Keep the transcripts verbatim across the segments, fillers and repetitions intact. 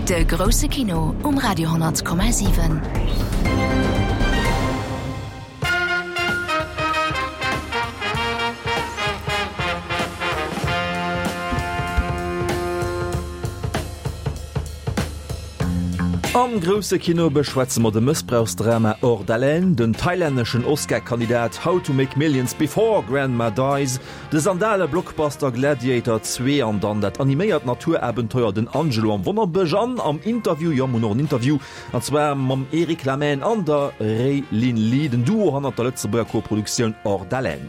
De grousse Kino um Radio honnert Komma siwen. Am grousse Kino beschwätze mer de Mëssbrauchsdrama Hors d'haleine, den thailänneschen Oscar-Kandidat How to Make Millions Before Grandma Dies, de Sandale-Blockbuster Gladiator zwee an dann dat animéiert Naturabenteuer Den Angelo am Wonnerbësch. An am Interview, jo mer hunn och en Interview, an zwar mam Eric Lamaine an der Ray-Lyn Lee, den Duo hannert der Lëtzebuerger Koproduktioun Hors d'haleine.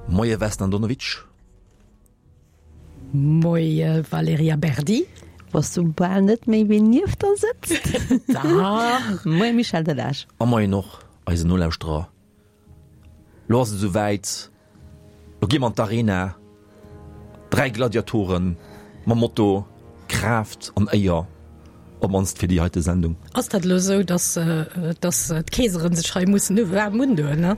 Moie Vesna Andonovic. Moie Valerija Berdi. Wosst du bal net méi wien nieft der sëtzt? Dach. Moie Michel Delage. A moien och eisen Nolauschterer. Lo ass et esou wäit, lo gi mer an d'Arena. Dräi Gladiatoren mam Motto Kraaft an Éier, op mannst fir déi heite Sendung. Ass dat elo esou, dass dass d'Keeseren sech hei mussen waarm undoen, ne?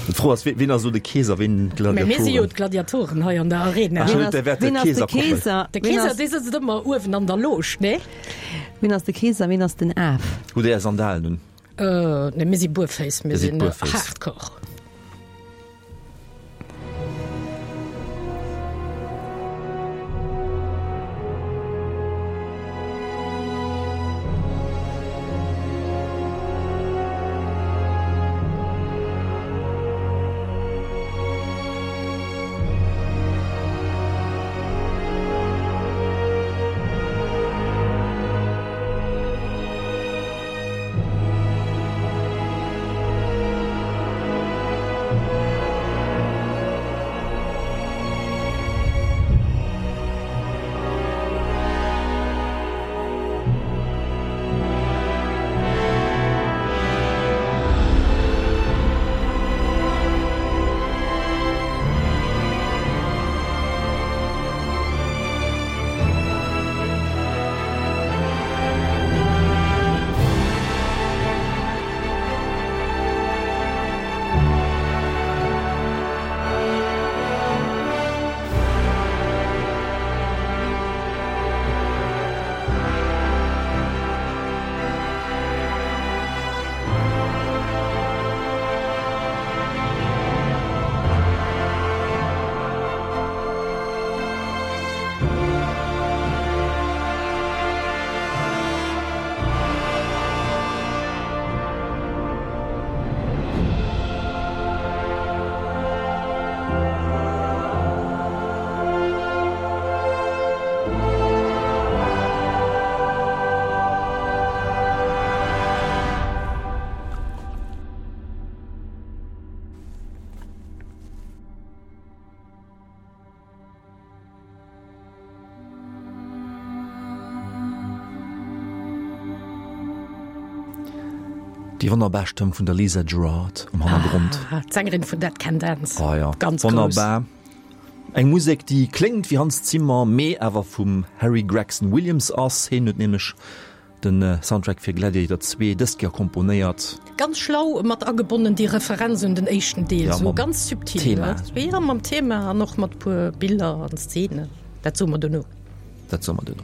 D'Fro ass, wien ass elo de Keeser, wien d'Gladiatoren? Mä mir si jo d'Gladiatoren hei an der Arena. Ach, der wäert Wien ass de Keeser Keeser? De Keeser, dee sëtzt ëmmer uewen an der Loge, ne? Wien ass de Keeser, wien ass den Af? Hutt Dir Är Sandalen un? Nee, mir si buerféiss, mir Dir sidd sinn buerféiss. hardcore. Déi wonnerbar Stëmm vun der Lisa Gerrard am Hannergrond. Ah, d'Sängerin vun Dead Can Dance. Ah ja, Ganz grouss. wonnerbar. Eng Musek, déi kléngt wéi Hans Zimmer, mee awer vum Harry Gregson Williams ass. Hien huet nämlech de Soundtrack fir Gladiator zwee dëst Joer komponéiert. Ganz schlau mat agebonnen déi Referenz un den éischten Deel, Ja, sou mam ganz subtil, Thema. ne? Ja, mam Thema an och mat puer Biller an Szenen. Dat soe mer dono. Dat soe mer dono.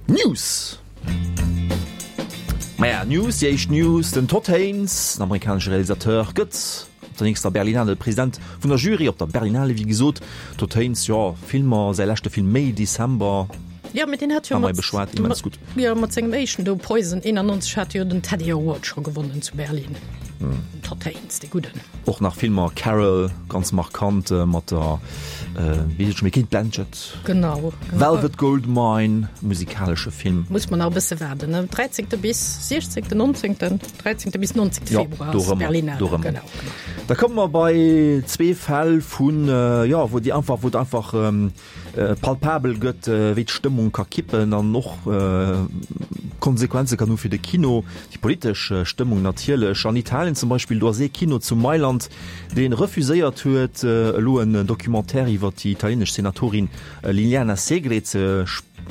News! Maja, News, déi éischt News, Den Todd Haynes, den amerikanesche Realisateur, gëtt op der nächster Berlinale President vun der Jury op der Berlinale, wéi gesot. Todd Haynes, jo, Filmer, säi leschte Film May December. Jo, mee deen hat jo Haben wir mat, beschwat, immens gutt. jo, mat sengem éischten do, Poison, eenannonzeg, hat jo den Teddy Award scho gewonnen zu Berlin. Hm. Den Todd Haynes, dee Gudden. Och nach Filmer, Carol, ganz markant, mat der, wéi heescht et scho méi, Cate Blanchett. Genau, genau. Velvet Goldmine, musikalesche Film. Muss mer nach e bësse waarden, ne? dräizéngte bis siechzéngten, nonzéngten, dräizéngte bis nonzéngte Jo, Februar do ass rëmmer, Berlinale, do rëmmer. genau, genau. Da komme mer bei zwee Fäll vun, jo, wou déi einfach, wou et einfach palpabel gëtt, wéi d'Stëmmung ka kippen an och Konsequenze kann hu fir de Kino, déi politesch Stëmmung natierlech. An Italien zum Beispill, do ass ee Kino zu Mailand, dee refuséiert huet, elo en Documentaire iwwer déi italienesch Senatorin Liliana Segre ze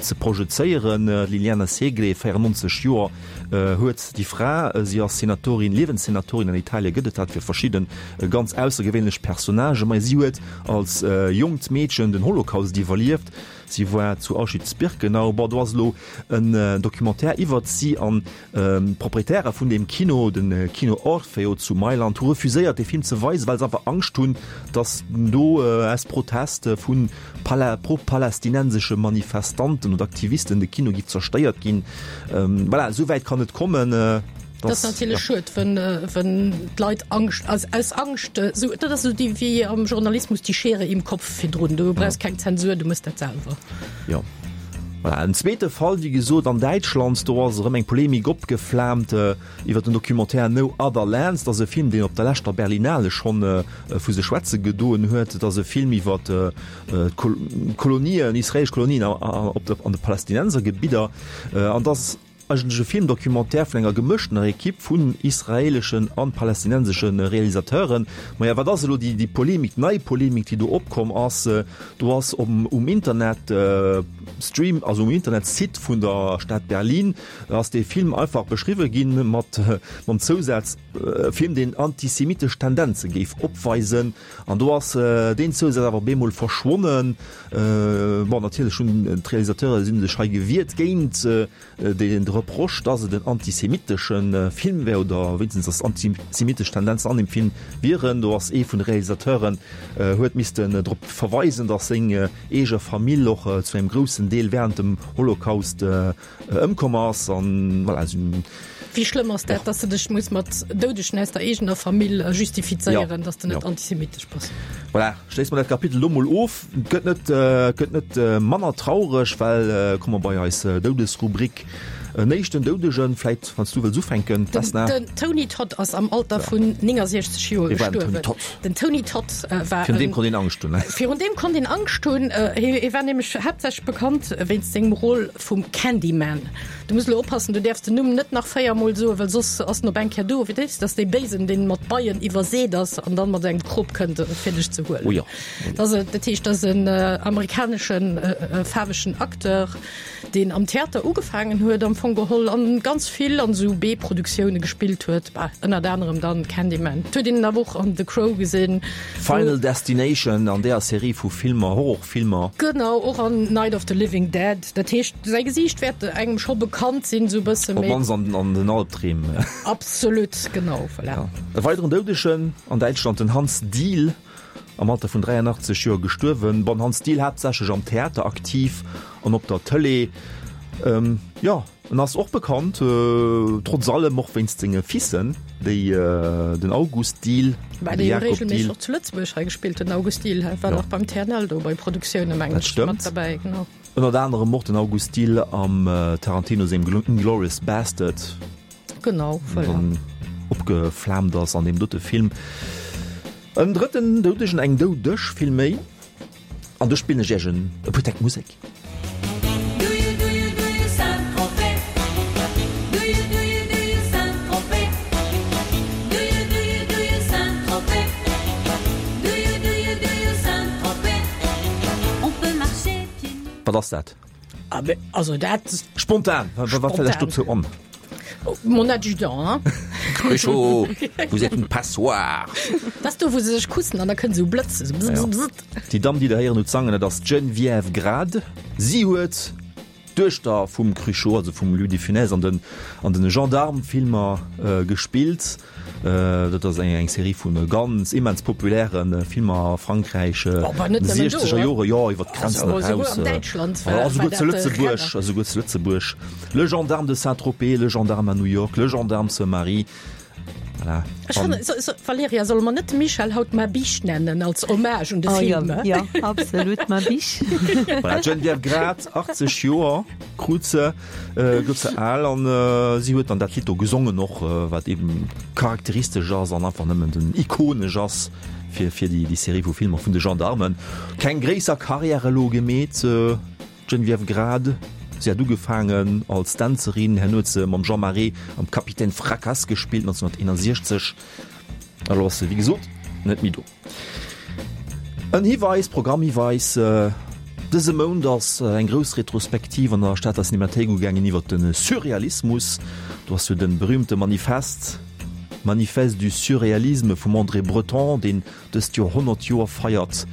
ze projezéieren. D'Liliana Segre, véierennonzeg Joer huet déi Fra, si ass Senatorin, Liewenssenatorin, an Italie gëtt et dat fir verschidde ganz aussergewéinlech Personnagen, ma si huet als jonkt Meedchen den Holocaust iwwerlieft, si war zu Auschwitz-Birkenau. Bon, do ass elo en Documentaire iwwert si an d'Proprietäre vun deem Kino, de Kino Orfeo zu Mailand, hu refuséiert dee Film ze weisen, well se einfach Angscht hunn, datt do aus Protest vu pro-palästinensesche Manifestanten oder Aktivisten de Kino giff zerstéiert ginn. Voilà, esou wäit kann et kommen. Dat ass natierlech schued, wenn d'Leit Angscht, aus aus Angscht, esou, dat ass esou déi wéi am Journalismus die Schere im Kopf virdrun, du brauchs keng Zensur, du mëss dat selwer. Jo. Voilà, en zweete Fall, wéi gesot, an Däitschland, do ass erëm eng Polemik opgeflaamt iwwer den Documentaire No Other Lands. Dat ass e Film, deen op der leschter Berlinale schonn vu sech schwätze gedoen huet. Et ass e Film iwwer d'Kolonien, israeelesch Kolonien an de Palästinensergebidder. An et ass eigentlech e Film-Documentaire vun enger gemëschtener Ekipp vun israeeleschen an palästinensesche Realisateuren. Maja, wat ass elo déi déi Polemik, nei Polemik, déi do opkomm ass? Do ass um um Internet Stream, also um Internetsite vun der Stad Berlin ass dee Film einfach beschriwwe ginn mat mam Zousaz, e Film, deen antisemitesch Tendenze géif opweisen. An do ass deen Zousaz awer op eemol verschwonnen. Bon, natierlech hunn d'Realisateure si sech hei gewiert géint de Reproche, dass et en antisemitesche Film wär oder wéinstens dass antisemitesch Tendenzen an dem Film wieren. Do ass ee vun de Realisateuren huet missten drop verweisen, dass seng eege Famill och zu engem groussen Deel wärend dem Holocaust ëmkomm ass. An voilà, si hunn. Wéi schlëmm ass dat, dass de dech muss mat Doudegen aus der eegener Famill justifizéieren, dass de net antisemitesch bass? Voilà, schléisse mer dat Kapitel elo mol of. Et gëtt net, gëtt net manner traureg, well komme mer bei eis Doudesrubrik. En éischten Doudegen, vläit wann s du wëlls ufänken, Vesna. Den Tony Todd ass am Alter vun néngasiechzeg Joer gestuerwen. Den Tony Todd war. Virun deem konnt een Angscht hunn, ne? Virun deem konnt een Angscht hunn. Hie war nämlech haaptsächlech bekannt wéinst sengem Rôle vum Candyman. Du muss elo oppassen, du däerfs den Numm net nach véier Mol soen, well soss ass en op eng Kéier do. Wéi dat ass dee Béisen, deen mat Beien iwwerseet ass an dann mat engem Krop kënnt, fir dech ze huelen. Oh jo. Dat ass, dat heescht, dat ass en amerikaneschen faarwegen Acteur, deen am Theater ugefaangen huet am Fong geholl an ganz vill an esou B-Produktioune gespillt huet, bah, ënnert anerem dann Candyman. Et huet een en awer och an The Crow gesinn. Final Destination, an deeër Serie vu Filmer, Horrorfilmer. Genau, och an Night of the Living Dead. Dat heescht, säi Gesiicht wäert engem scho bekannt sinn, esou e bësse méi. Op d'mannst an, an den Albdreem. Absolut, genau, voilà. Ja. E weideren Doudegen an Däitschland, den Hans Diehl, am Alter vun dräianachtzeg Joer gestuerwen. Bon, Hans Diehl haaptsächlech am Theater aktiv an op der Tëlee. Jo, en ass och bekannt, trotz allem och wéinst senge Fissen, déi den August Diehl War an de dee jo Jakob regelméisseg Diehl. och zu Lëtzebuerg hei gespillt, den August Diehl war Jo. nach beim T N L do bei Produktioune mengen Dat ech mat stëmmt. derbäi, genau. Ënnert anerem och den August Diehl am Tarantino sengem Inglourious Bastard. Genau, voilà. Dann opgeflaamt ass an deem dote Film. En drëtten Doudegen, eng Doudeg villméi, an do spillen ech iech en e puer Täkt Musek. Wat ass dat? Also dat Spontan, wat fält lech dozou an? Mon adjudant, hein? Cruchot, vous êtes une passoire! Dat ass do, wou se sech kussen an da kënnt esou Blëtz, esou bzz, bzz, bzz. Déi Damm, déi Der héieren hutt sangen, dat ass d'Geneviève Grad. Si huet d'Duechter vum Cruchot, also vum Louis de Funès an den an den Gendarme-Filmer gespillt. Dat ass eng eng Serie vu ganz immens populäre Filmer a Frankräich Oh, an de siechzeger Jore, jo, iwwer d'Grenzen eraus, a souguer zu Lëtzebuerg, a souguer zu Lëtzebuerg. Le gendarme de Saint-Tropez, Le gendarme à New York, Le gendarme se marie. Voilà. Ech fannen, so, so, Valerija, solle mer net de Michel haut Ma Biche nennen als Hommage un de Oh, Film? jo, jo, absolut, Ma Biche. Voilà, d'Geneviève Grad, achtzeg Joer krut se, gouf se al an si huet dann dat Lidd do gesongen och, wat eben charakteristesch ass an einfach nëmmen den ikonesch ass fir, fir déi, déi Serie vu Filmer vun de Gendarmen. Keng gréisser Carrière elo gemeet. D'Geneviève Grad, si hat ugefaangen als Dänzerin, herno huet se mam Jean Marais am Capitaine Fracasse gespillt, neunzehnhunderteenundsechzeg. Elo ass se, wéi gesot, net méi do. En Hiweis, Programmhiweis, Dëse Mount ass eng grouss Retrospektiv an der Stater Cinemathéik ugaangen iwwer de Surrealismus. Do ass jo de berühmte Manifest, Manifeste du surréalisme vum André Breton, deen dëst Joer honnert Joer feiert.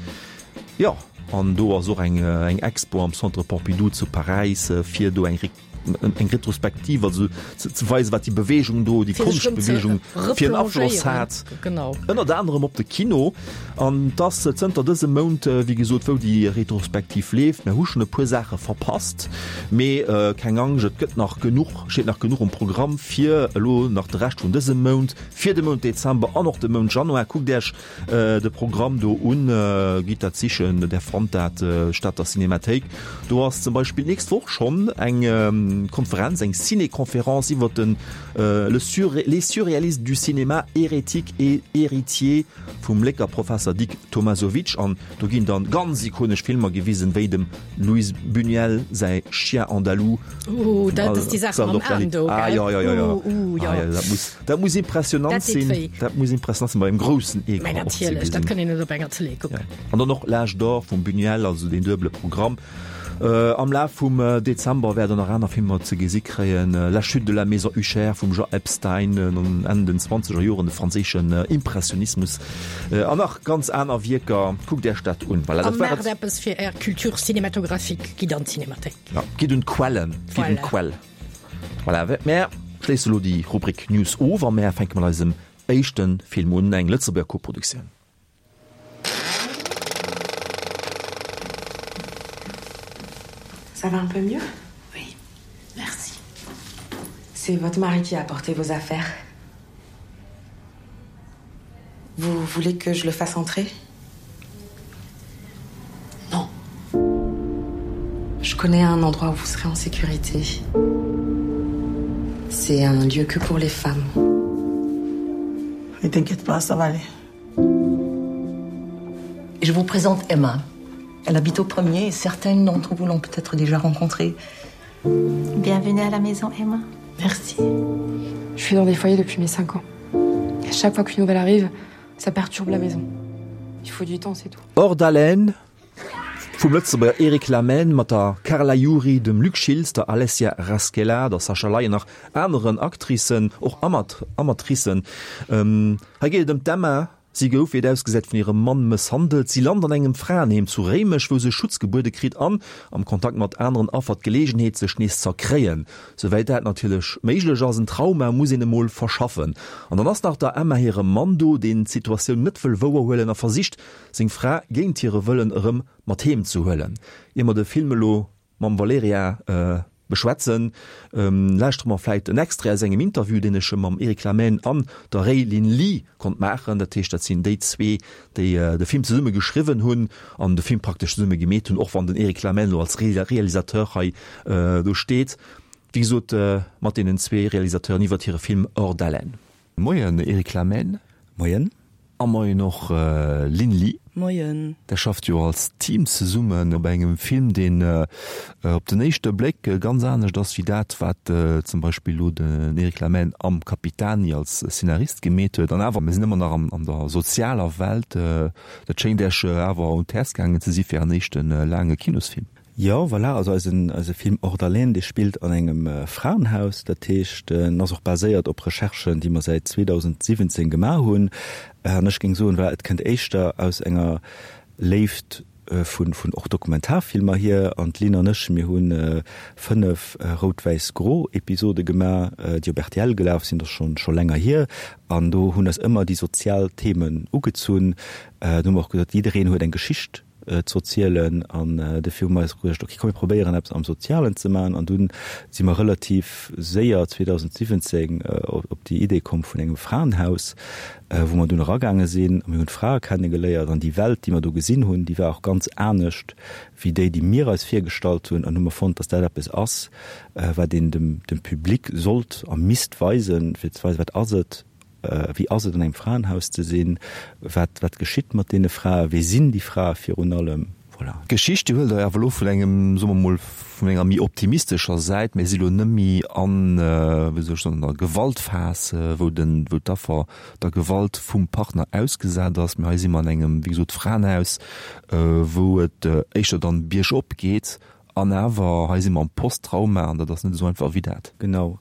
Jo, an do ass och eng eng Expo am Centre Pompidou zu Paräis, fir do eng eng Retrospektiv, also ze ze weisen, wat déi Beweegung do, déi Konschtbeweegung fir en Afloss hat. Genau. Ënnert anerem op de Kino. An et ass zënter dësem Mount, wéi gesot, wou déi Retrospektiv leeft. Mir hu schonn e puer Saache verpasst, mee keng Angscht, et gëtt nach genuch, steet nach genuch um Programm fir elo nach de Rescht vun dësem Mount, fir de Mount Dezember an och de Mount Januar. Kuckt Iech de Programm do un, gitt dat sichen, där fannt dat, Stater Cinemathéik. Do ass zum Beispill d'nächst Woch schonn eng Konferenz, eng Ciné-Conférence iwwer den Le sur, les surréalistes du cinéma, hérétiques et héritiers vum Lécker Professer Dick Tomasovic. An do ginn dann ganz ikonesch Filmer gewisen, wéi dem Luis Buñuel säi Chien andalou. Ooh, dat ass déi Saach mam Aen do, gell? Ah jo, jo, jo, jo. Ooh, jo. Ah jo, dat muss, dat muss impressionant Dat deet sinn. wéi. Dat muss impressionant sinn, bei engem groussen Mä Ecran och ze natierlech, dat gesinn. kann een net op enger Tëlee kucken. Ja. An dann och L'Âge d'or vum Buñuel, also deen duebele Programm. Am Laf vum Dezember wäert der nach aner Filmer ze gesi kréien, La chute de la maison Usher vum Jean Epstein, Enn den zwanzeger Joren, de franséischen Impressionismus an nach ganz aner Wierker. Kuckt Iech dat un. Voilà, A dat war maacht et. eppes fir Är Culture cinématographique, gitt an d'Cinémathéik. Ja, gitt un d'Quellen, gitt un Voilà. d'Quell. Voilà, mär schléisse lo déi Rubrik News of a mär fänke mat eisem éischte Film un, eng Lëtzebuerger Koproduktioun. Ça va un peu mieux? Oui, merci. C'est votre mari qui a apporté vos affaires. Vous voulez que je le fasse entrer? Non. Je connais un endroit où vous serez en sécurité. C'est un lieu que pour les femmes. Ne t'inquiète pas, ça va aller. Je vous présente Emma. Elle habite au premier et certaines d'entre vous l'ont peut-être déjà rencontrée. Bienvenue à la maison, Emma. Merci. Je suis dans des foyers depuis mes cinq ans. À chaque fois qu'une nouvelle arrive, ça perturbe la maison. Il faut du temps, c'est tout. Hors d'haleine vum Lëtzebuerger Eric Lamaine mat der Carla Juri, dem Luc Schiltz, der Alessia Raschella, der Sascha Ley an nach aneren Actricen, och Amatricen. Hei geet et ëm d'Emma. Si gouf, wéi et ausgesäit, vun hirem Mann mësshandelt. Si lant an engem Fraenheem zu Réimech, wou se Schutz gebuede kritt an, am Kontakt mat aneren Affer, d'Geleegenheet, sech nees z'erkréien, souwäit dat natierlech méiglech ass. En Trauma muss een emol verschaffen. An dann ass nach der Emma hire Mann do, deen d'Situatioun net wëll wouerhuelen a versicht, seng Fra géint hire Wëllen erëm mat heem ze huelen. Ier mer de Film elo mam Valerija beschwätzen, lauschtere mer vläit en Extrait aus engem Interview, deen ech mam Eric Lamaine an der Ray-Lyn Lee konnt maachen. Dat heescht, dat sinn déi zwee, déi de Film zesumme geschriwwen hunn an de Film praktesch zesumme gemeet hunn, och wann den Eric Lamaine elo als Realisateur hei do steet. Wéi gesot, mat deenen zwee Realisateuren iwwert hire Film Hors d'haleine. Moien Eric Lamaine. Moien. A moien och Lynn Lee. Moien. Der schafft jo als Team zesummen op engem Film, deen op den éischte Bléck ganz anescht ass wéi dat, wat zum Beispill elo den Eric Lamaine am Capitani als Szenarist gemeet huet. An awer, mir sinn ëmmer nach an der sozialer Welt. Dat schéngt Iech awer un d'Häerz gaangen ze si fir Ären éischte laange Kinosfilm. Jo, voilà, also eisen, eise Film Hors d'haleine, dee spillt an engem Fraenhaus. Dat heescht, en ass och baséiert op Recherchen, déi mer säit zweedausendsiwwenzéng gemaach hunn. An ech géing soen, voilà, et kënnt éischter aus enger Léift vun, vun och Dokumentarfilmer hier. An d'Lynn an ech, mir hu fënnef Rout-Wäiss-Gro-Episode gemaach, déi op R T L gelaf sinn, dat ass scho, scho länger hier. An do hunn eis ëmmer déi sozial Themen ugezunn. Do hu mer och gesot, jiddereen huet eng Geschicht z'erzielen an dofir hu mer eis geduecht, ok, komm mir probéieren eppes am Sozialen ze maachen an dunn si mer relativ séier zweedausendsiwwenzéng op déi Idee komm vun engem Fraenhaus, wou mer dunn eragaange sinn a mir hunn d'Frae kennegeléiert an déi Welt, déi mer do gesinn hunn, déi war och ganz anescht wéi déi, déi mir eis virgestallt hunn an hu mer fonnt, dass dat eppes ass, wat een dem dem Public sollt a misst weisen, fir ze weisen, wat ass et, wéi ass et an engem Fraenhaus ze sinn, wat wat geschitt mat deene Frae, wie sinn déi Frae virun allem. Voilà. D'Geschicht, déi huelt Der awer elo vun engem, soe mer mol, vun enger méi optimistescher Säit. Mir si lo net méi an, wéi soll ech soen, an der Gewaltphas, wou den, wou d'Affer der Gewalt vum Partner ausgesat ass, mee hei si mer an engem, wéi gesot, Fraenhaus, wou et éischter dann biergop geet. An awer, hei si mer am Posttrauma an dat ass net esou einfach wéi dat. Genau.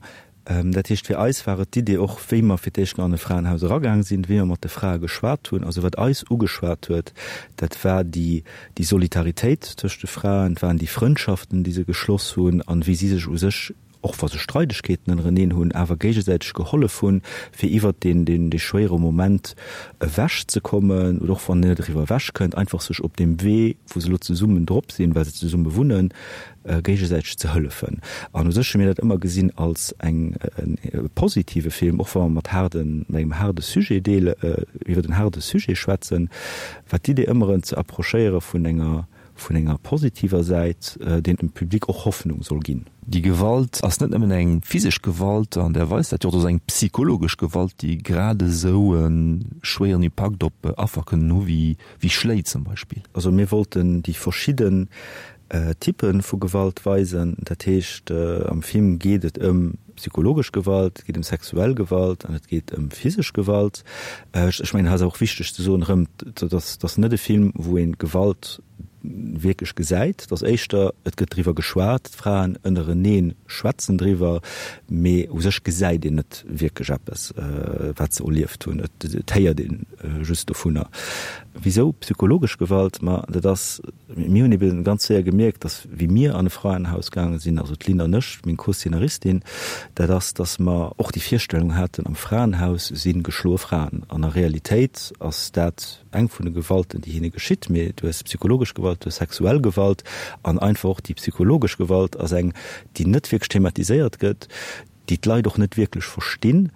Dat heescht, fir eis war et d'Idee och, wéi mer fir d'éischt an e Fraenhaus eragaang sinn, wéi mer mat de Frae geschwat hunn, also wat eis ugeschwat huet, dat war déi, déi Solidaritéit tëscht de Fraen, et waren déi Frëndschaften, déi se geschloss hunn an wéi si sech u sech, och wa se Streidegkeeten ënnereneen hunn, awer géigesäiteg gehollef hunn, fir iwwert deen, deen, dee schwéiere Moment ewechzekommen oder och wann een net eriwwer ewechkënnt, einfach sech op deem Wee, wou se elo zesummen drop sinn, well se zesumme wunnen, géigesäiteg ze hëllefen. An u sech hu mir dat ëmmer gesinn als eng, e positive Film, och wa mer mat haarden, mat engem haarde Sujet deele, iwwer en haarde Sujet schwätzen, war d'Idee ëmmer en ze approchéiere vun enger, vun enger positiver Säit, deen dem Public och Hoffnung soll ginn. Déi Gewalt ass net nëmmen eng physesch Gewalt an där Weis, dat jo, et ass eng psychologesch Gewalt, déi grad esou e schwéieren Impakt op Affer kënnen hu wéi Schléi zum Beispill. Also mir wollten déi verschidden Typpe vu Gewalt weisen. Dat heescht, am Film geet et ëm psychologesch Gewalt, et geet ëm sexuell Gewalt an et geet ëm physesch Gewalt. Ech mengen, hei ass och wichteg ze soen erëm, dat ass net e Film, wou ee Gewalt wierklech gesäit. Et ass éischter, et gëtt driwwer geschwat, d'Fraen ënnerenee schwätzen driwwer, mee u sech gesäit een net wierklech eppes, wat se erlieft hunn. Et héiert ee just dovunner. Wisou psychologesch Gewalt? Ma dat ass, mir hunn eben ganz séier gemierkt, dass wéi mir an e Fraenhaus gaange sinn, also d'Lynn an ech, meng Co-Szenaristin, dat ass, dass mer och déi Virstellung haten, am Fraenhaus si geschloe Fraen. An a Realitéit ass dat eng vun de Gewalten, déi hinne geschitt. Mee du hues psychologesch Gewalt, du hues sexuell Gewalt an einfach och déi psychologesch Gewalt ass eng, déi net wierklech thematiséiert gëtt, déi d'Leit och net wierklech verstinn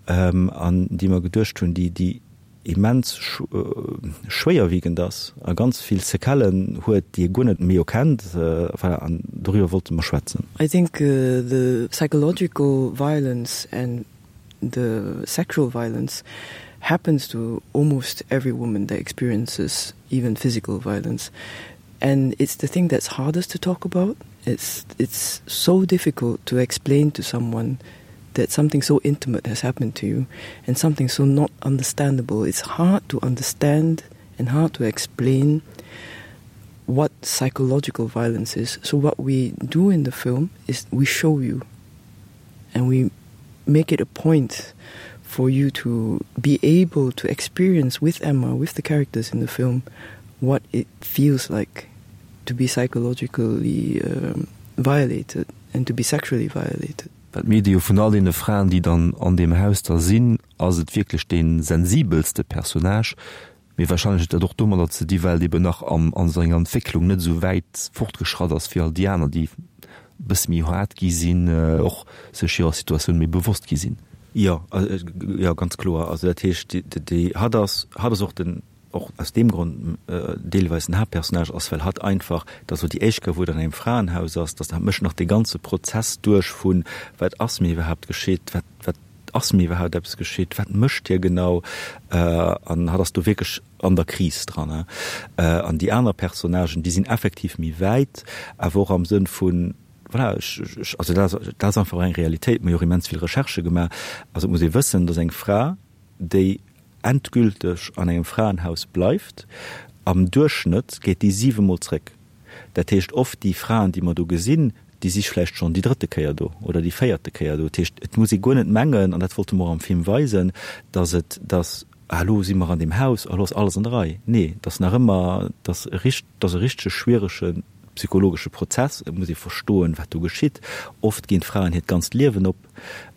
an déi mer geduecht hunn, déi, déi immens schwéierwiegend ass a ganz vill Séquellen huet, déi ee guer net méi erkennt. Voilà, an doriwwer wollte mer schwätzen. I think the psychological violence and the sexual violence happens to almost every woman that experiences even physical violence. And it's the thing that's hardest to talk about. It's, it's so difficult to explain to someone that something so intimate has happened to you and something so not understandable. It's hard to understand and hard to explain what psychological violence is. So what we do in the film is we show you and we make it a point for you to be able to experience with Emma, with the characters in the film, what it feels like to be psychologically um, violated and to be sexually violated. Well d'Medie jo vun all deene Fraen, déi dann an deem Haus da sinn, ass et wierklech dee sensibelste Personnage. Mee wahrscheinlech huet dat och domadder ze di, well et eben nach am a senger Entwécklung net esou wäit fortgeschratt ass wéi all déi aner, déi e bësse méi haart gi sinn, och sech hirer Situatioun méi bewosst gi sinn. Jo, jo, ganz kloer. Also dat heescht, déi, hatt ass, hatt ass och den, och aus deem Grond deelweis den Haaptpersonnage ass, well hatt einfach, dat ass elo déi éischt Kéier, wou et an engem Fraenhaus ass, dass hatt mécht nach dee ganze Prozess duerch vun, wat ass mir iwwerhaapt geschitt, wat, wat ass mir iwwerhaapt eppes geschitt, wat mécht hie genau, an hatt ass do wierklech an der Kris dran. An déi aner Personnagen, déi sinn effektiv méi wäit, awer och am Sënn vun, voilà, ech, ech, also dat ass, dat ass einfach och eng Realitéit, mir hu jo och immens vill Recherchë gemaach, also et muss ee wëssen, dass eng Fra, déi endgülteg an engem Fraenhaus bleift, am Duerchschnëtt geet déi siwe Mol zréck. Dat heescht, oft déi Fraen, déi mer do gesinn, déi si vläicht schonn déi drëtte Kéier do oder déi véierte Kéier do. Dat heescht, et muss ee guer net mengen, an dat wollte mer och am Film weisen, dass et, dass, ah elo si mer an deem Haus, elo ass alles an der Rei. Nee, et ass nach ëmmer, et ass e richt, et ass e richtege schwierege psychologesche Prozess. Et muss ee verstoen, wat do geschitt. Oft ginn d'Fraen hiert ganzt Liewen op.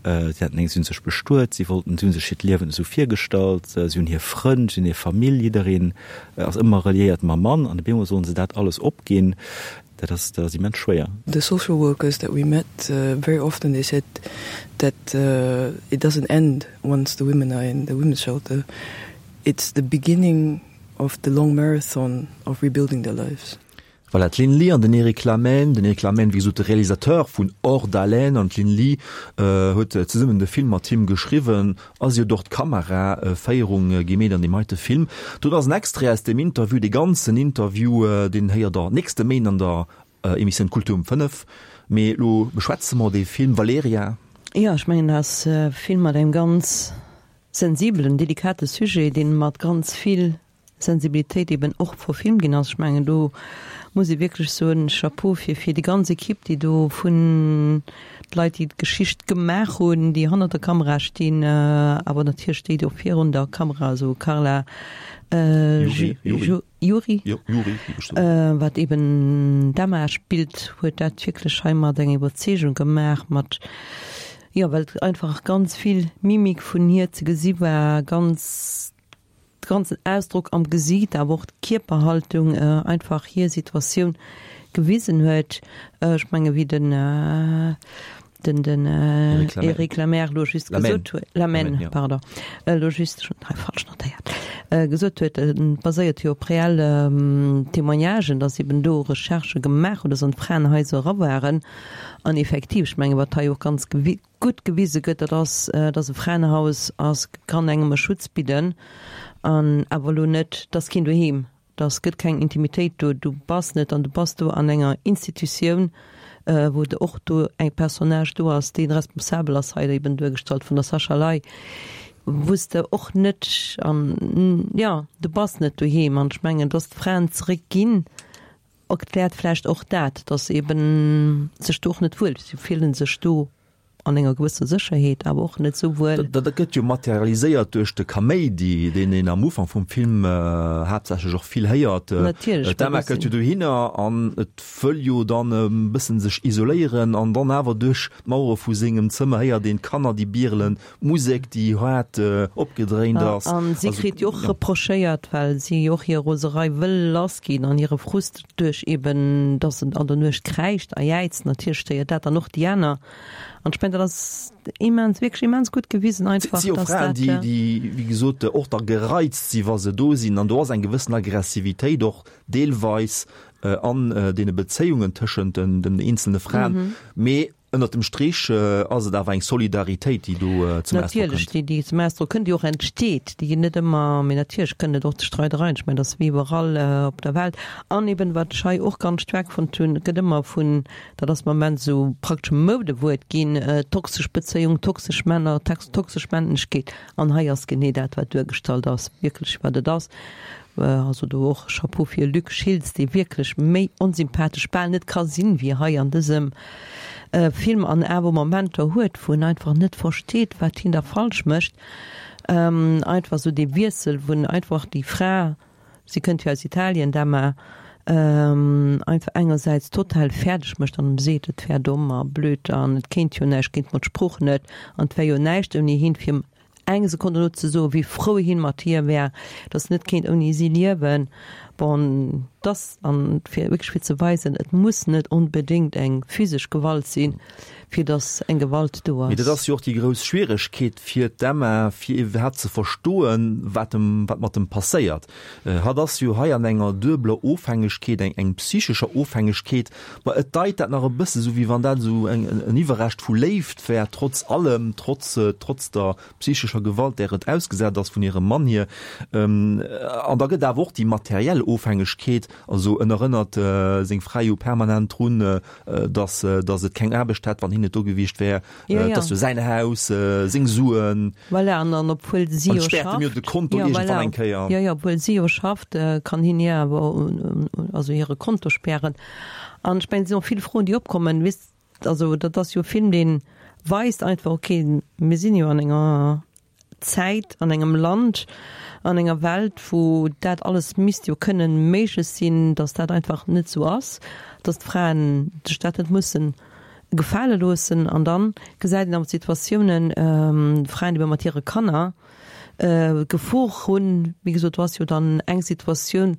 Si haten eng, si hunn sech bestuet, si wollten, si hu sech hiert Liewen esou virgestallt, si hunn hir Frënn, si hunn hir Famill, jiddereen ass ëmmer reliéiert mam Mann an op eemol sollen se dat alles opginn. Dat ass, dat ass immens schwéier. The social workers that we met, very often they said that it doesn't end once the women are in the women's shelter, it's the beginning of the long marathon of rebuilding their lives. Voilà, d'Lynn Lee an den Eric Lamaine. Den Eric Lamaine, wéi gesot, de Realisateur vun Hors d'haleine, an d'Lynn Lee huet zesummen de Film mat him geschriwwen a si huet och d'Kameraféierung gemeet an deem heite Film. Do ass en Extrait aus dem Interview, dee ganzen Interview, deen héiert der nächste Méint an der Emissioun Kultur um fënnef. Mee elo beschwätze mer dee Film, Valerija. Jo, ech mengen, dat ass e Film mat engem ganz sensibelen, delikate Sujet, dee mat ganz vill Sensibilitéit eben och verfilmt ginn ass. Ech mengen, do muss ee wierklech soen, Chapeau fir fir déi ganz Equipe, déi do vun d'Leit, déi d'Geschicht gemaach hunn, déi hannert der Kamera stinn, awer natierlech déi, déi och virun der Kamera, also Carla Juri, wat eben d'Emma spillt, huet dat wierklech hei mat enger Iwwerzeegung gemaach, mat, jo, well et einfach ganz vill Mimik vun hir ze gesi war, ganz, de ganzen Ausdrock am Gesiit, awer och d'Kierperhaltung einfach hir Situatioun gewisen huet. Ech menge wéi den den den Eric Lemaire elo just gesot huet, Lamaine, pardon, elo just, ech hunn et hei falsch notéiert, gesot huet, et baséiert jo op reell Témoignagen, datt eben do Recherchë gemaach hunn, datt an d'Fraenhaiser era waren. An effektiv, ech menge wat hei och ganz gutt gewise gëtt, dat ass, datt e Fraenhaus ass, kann engem e Schutz bidden an awer elo net, 't ass keen doheem, 't gëtt keng Intimitéit do, du bass net an du bass do an enger Institutioun, wou de och do eng Personnage do ass, dee responsabel ass, hei eben duergestallt vun der Sascha Ley, wou s de och net an, jo, du bass net doheem. An ech mengen, datt d'Fraen zeréck ginn, erkläert vläicht och dat, datt se eben sech do och net wuel, si fillen sech do an enger gewësser Sécherheet, awer och net esou wuel. Dat gëtt jo materialiséiert duerch de Kaméidi, deen een am Ufank vum Film haaptsächlech och vill héiert. Natierlech. D'Emma kënnt jo dohinner an et wëll jo dann e bëssen sech isoléieren an dann awer duerch d'Mauere vu sengem Zëmmer héiert een d'Kanner, déi bierelen, d'Musek, déi haart opgedréint ass. An si kritt jo och reprochéiert, well si och hir Roserei wëll lassginn an hire Frust duerch eben, dass en an der Nuecht kräischt a jäizt. Natierlech stéiert dat dann och déi aner. An ech mengen, dat ass immens, wierklech immens gutt gewisen einfach, Et si jo dass Fraen, dat. déi, déi, wéi gesot, och da gereizt si wa se do sinn. An do ass eng gewëssen Aggressivitéit och deelweis an deene Bezéiungen tëschent den, den eenzelne Fraen. Mee ënnert dem Strich ass et awer eng Solidaritéit, déi do zum Ausdrock Natierlech, kënnt. déi, déi zum Ausdrock kënnt, déi och entsteet, déi net ëmmer, mee natierlech kënnt et och zu Streidereien, ech mengen, dat ass wéi iwwerall op der Welt. An eben, wat ech hei och ganz staark fonnt hunn, et gëtt ëmmer vun, dat ass am Moment esou praktesch e Moudewuert ginn, toxesch Bezéiung, toxesch Männer, toxesch Männlechkeet. An hei ass genee dat, wat duergestallt ass, wierklech wat et ass. Also do och Chapeau fir Luc Schiltz, dee wierklech méi onsympathesch bal net ka sinn, wéi hei an dësem Film an awer Momenter huet, wou en einfach net versteet, wat hien da falsch mécht. Einfach esou dee Wiessel, wou en einfach déi Fra, si kënnt jo aus Italien, d'Emma, einfach engersäits total fäerdeg mécht an em seet, et wär domm a blöd an et kéint jo näischt, kéint mat Sprooch net an et wär jo näischt ouni hien, fir em eng Sekonn dono ze soen, wéi frou hien mat hir wär, dass en net kéint ouni si liewen. Bon, dass, an fir wierklech fir ze weisen, et muss net onbedéngt eng physesch Gewalt sinn, fir dass eng Gewalt do Mee dat ass. ass jo och déi grouss Schwieregkeet fir d'Emma, fir iwwerhaapt ze verstoen, wat em, wat mat em passéiert. Hatt ass jo hei an enger duebeler Ofhängegkeet, eng, eng psychescher Ofhängegkeet. Ma et deit dat nach e bësse sou, wéi wann dat esou eng, en Iwwerrescht vu Léift wär, trotz allem, trotz, trotz der psychescher Gewalt, där et ausgesat ass vun hirem Mann hier. An da gëtt awer och déi materiell Ofhängegkeet, also en erënnert seng Fra jo permanent drun, dass, dass et keng Aarbecht hätt, wann hien net do gewiescht wär, et ass jo säin Haus, seng Suen. Voilà, an an obwuel si An jo späert em jo schafft, de Konto jo, iergendwann voilà, eng Kéier. jo, jo, obwuel si jo schafft, kann hien hir awer, also hire Konto spären. An ech mengen, et sinn och vill Froen, déi opkommen, weess, also dat ass jo e Film, dee weist einfach, okay, mir sinn jo an enger Zäit, an engem Land, an enger Welt, wou dat alles misst jo kënnen méiglech sinn, dass dat einfach net esou ass, dass d'Fraen sech dat net mussen gefale loossen. An dann gesäit een awer Situatiounen, Fraen, déi mat hire Kanner d'Gefor hunn, wéi gesot, do ass jo dann eng Situatioun,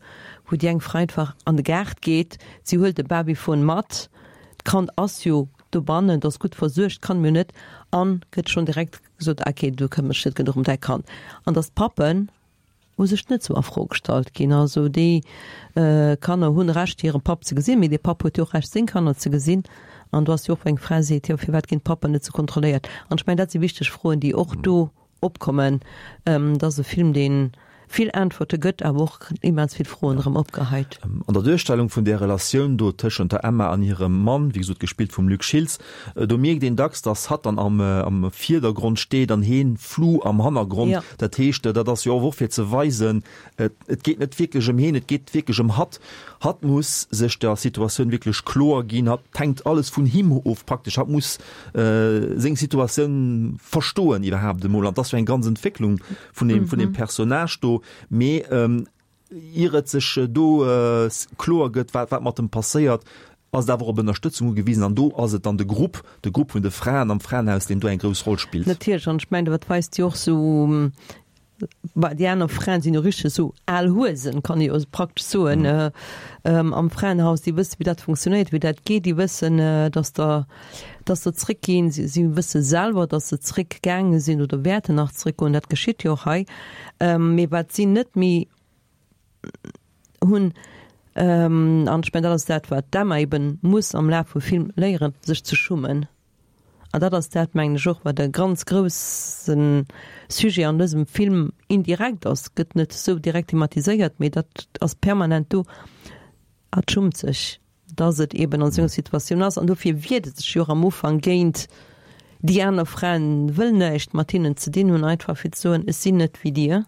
wou déi eng Fra einfach an de Gaart geet, si huelt de Babyfon mat, d'Kand ass jo dobannen, et ass gutt versuergt, kann mir net, an gëtt schonn direkt gesot, okay, du këmmers dech net genuch ëm däi Kand. An dass d'Pappen u sech net sou a Fro gestallt ginn. Also déi Kanner hunn Recht hire Papp ze gesinn, mee dee Papp huet jo och Recht seng Kanner ze gesinn. An do ass jo och, wou eng Fra seet, jo firwat ginn d'Pappen net sou kontrolléiert? An ech mengen dat si wichteg Froen, déi och do opkommen. Et ass e Film dee vill Äntwerte gëtt, awer och immens vill Froen erëm opgeheit. An der Duerstellung vun där Relatioun do tëschent der Emma an hirem Mann, wéi gesot gespillt vum Luc Schiltz, do mierkt een dacks, datt hatt dann am am Virdergrond steet an heen flou am Hannergrond. Dat heescht, dat ass jo och fir ze weisen, et geet net wierklech ëm heen, et geet wierklech ëm hatt. Hatt muss sech der Situatioun wierklech kloer ginn, hatt hänkt alles vun him of praktesch, hatt muss seng Situatioun verstoen iwwerhaapt emol. An dat ass jo eng ganz Entwécklung vun deem, vun deem Personnage do. Mee ier et sech do kloer gëtt, wat, wat mat em passéiert, ass et awer op Ënnerstëtzung ugewisen. An do ass et dann de Grupp, de Grupp vun de Fraen am Fraenhaus, deen do eng grouss Roll spillt. Natierlech, an ech mengen, dat weist jo och esou, bah, déi aner Fraen sinn jo richteg esou al Huesen, kann ee jo praktesch soen, am Fraenhaus, déi wëssen, wéi dat funktionéiert, wéi dat geet, déi wëssen, dass der, dass der zréckginn, si, si wësse selwer, dass se zréckgaange sinn oder wäerten nach zréckgoen, dat geschitt jo och hei. Mee wat si net méi hunn, an ech mengen, dat ass dat, wat d'Emma eben muss am Laf vum Film léieren, sech ze schummen. An dat ass dat, mengen ech och, wat e ganz grousse Sujet an dësem Film indirekt ass, gëtt net esou direkt thematiséiert, mee dat ass permanent do, Hatt schummt sech, dass et eeben an esou enger Situatioun ass. An dofir wiert e sech jo och am Ufank géint déi aner Fraen, wëll näischt mat hinnen ze dinn hunn, einfach fir ze soen, ech sinn net wéi dir.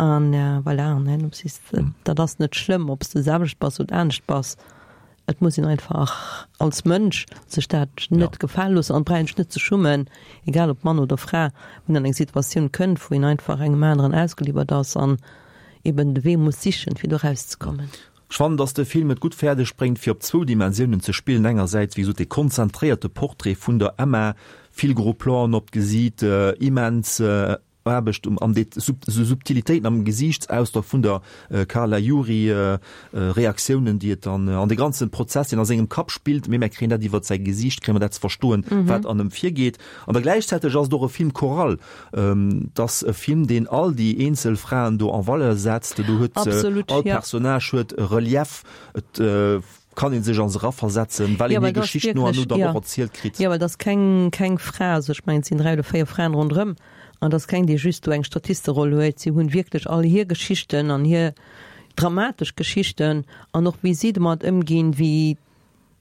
An voilà, an herno sees de, dat ass net schlëmm, ob s de selwecht bass oder anescht bass. Et muss een einfach als Mënsch sech dat net gefale loossen an brauch een sech net ze schummen, egal ob Mann oder Fra, wann een an eng Situatioun kënnt, wou een einfach engem aneren ausgeliwwert ass an eben de Wee muss sichen, fir do erauszekommen. Ech fannen, dass de Film et gutt fäerdeg bréngt, fir op zwou Dimensiounen ze spillen, engersäits, wéi gesot, dee konzentréierte Portrait vun der Emma, vill gros Planen op d'Gesiit, immens Aarbecht um, an déi Subtilitéiten am Gesiichtsausdrock vun der Carla Juri, Reaktiounen, déi et dann an de ganzen Prozess, deen a sengem Kapp spillt, mee mär kréien dat iwwert säi Gesiicht, kréie mer dat ze verstoen, wat an em virgeet. An da gläichzäiteg ass et och e Film choral. Et ass e Film, deen all déi eenzel Fraen do en valeur setzt. Do huet all Personnage huet e Relief. Et kann ee sech a se eraversetzen, well een hir Geschicht no an no dann och erzielt kritt. Jo, well et ass keng, keng Fra, also ech mengen, et sinn dräi oder véier Fraen ronderëm, an et ass keng, déi just do eng Statisteroll huet. Si hunn wierklech all hir Geschichten an hir dramatesch Geschichten an och wéi si domat ëmginn, wéi,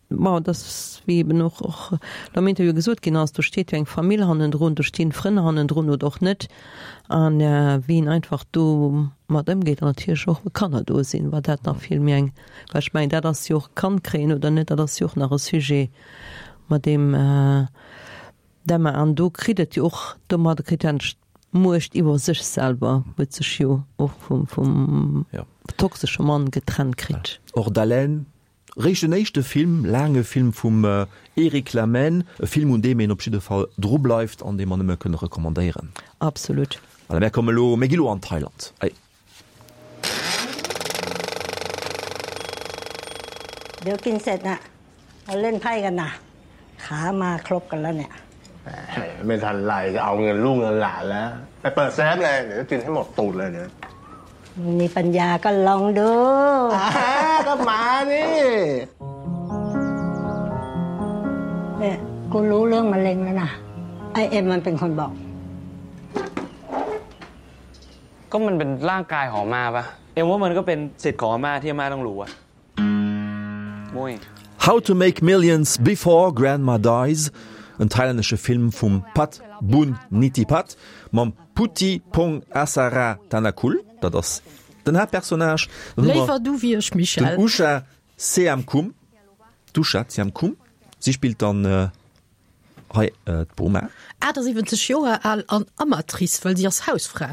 bon, et ass, wéi eben och och am Interview gesot ginn ass, do steet jo eng Famill hannendrun, do stinn Frënn hannendrun oder och net, a wéi een einfach domat ëmgeet an natierlech och wa Kanner do sinn, wat dat nach vill méi eng, well ech mengen, dat ass jo och, Kand kréien oder net, dat ass jo och nach e Sujet, mat deem d'Emma, an do kritt et jo och, domadder kritt et d'Muecht iwwer sech selwer, huet sech jo och vum vum toxesche Mann getrennt kritt. Hors d'haleine, réischt den éischte Film, laange Film vum Eric Lamaine, e Film un deem een op jidde Fall dru bleift an dee mer nëmme kënne recommandéieren. Absolut. Voilà, mär komme lo, mir gi lo an Thailand. Allez. เดี๋ยวกินเสร็จนะเราเล่นไพ่กันนะขามาครบกันแล้วเนี่ยไม่ทันไรจะเอาเงินลูกเงินหลานแล้วไปเปิดแซฟเลยเดี๋ยวกินให้หมดตูดเลยเนี่ยมีปัญญาก็ลองดูก็มานี่เนี่ยกูรู้เรื่องมะเร็งแล้วนะไอเอ็มมันเป็นคนบอกก็มันเป็นร่างกายของมาปะเอ็มว่ามันก็เป็นสิทธิ์ของอาม่าที่อาม่าต้องรู้อะมุ้ย How to Make Millions Before Grandma Dies, en thailännesche Film vum Pat Boon Nitipat mam Putti Pong Asara Thanakul, dat ass den Haaptpersonnage. Dann hu mer Léiwer du wéi ech, Michèle. den Usha Seamkhum, d'Usha Seamkhum, si spillt dann hei d'Boma. achtundsiwwenzeg Joer al an Amatrice, well si ass Hausfra.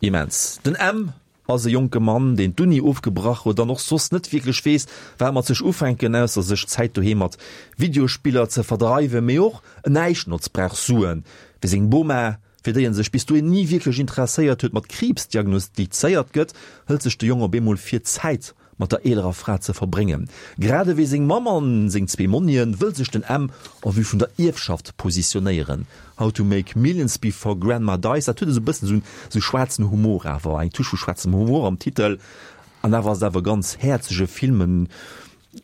Immens. Den M ass e jonke Mann, deen d'Uni ofgebrach huet an och soss net wierklech weess, wat mat sech ufänken, ausser sech d'Zäit doheem mat Videospiller ze verdreiwen. Mee och en Näischtnotz brauch Suen, wéi seng Boma, fir déi en sech bis dohin ni wierklech interesséiert huet, mat Kriibs diagnostizéiert gëtt, hëlt sech de Jong op eemol vir, Zäit mat der eelerer Fra ze verbréngen. Grad ewéi seng Mamm an seng zwee Monnien wëll sech den Em en vue vun der Ierfschaft positionéieren. How to make millions before grandma dies, dat huet esou e bëssen esou esou schwaarzen Humor awer, eng Touche vu schwaarzem Humor am Titel. An awer ass et awer e ganz häerzege Film, en.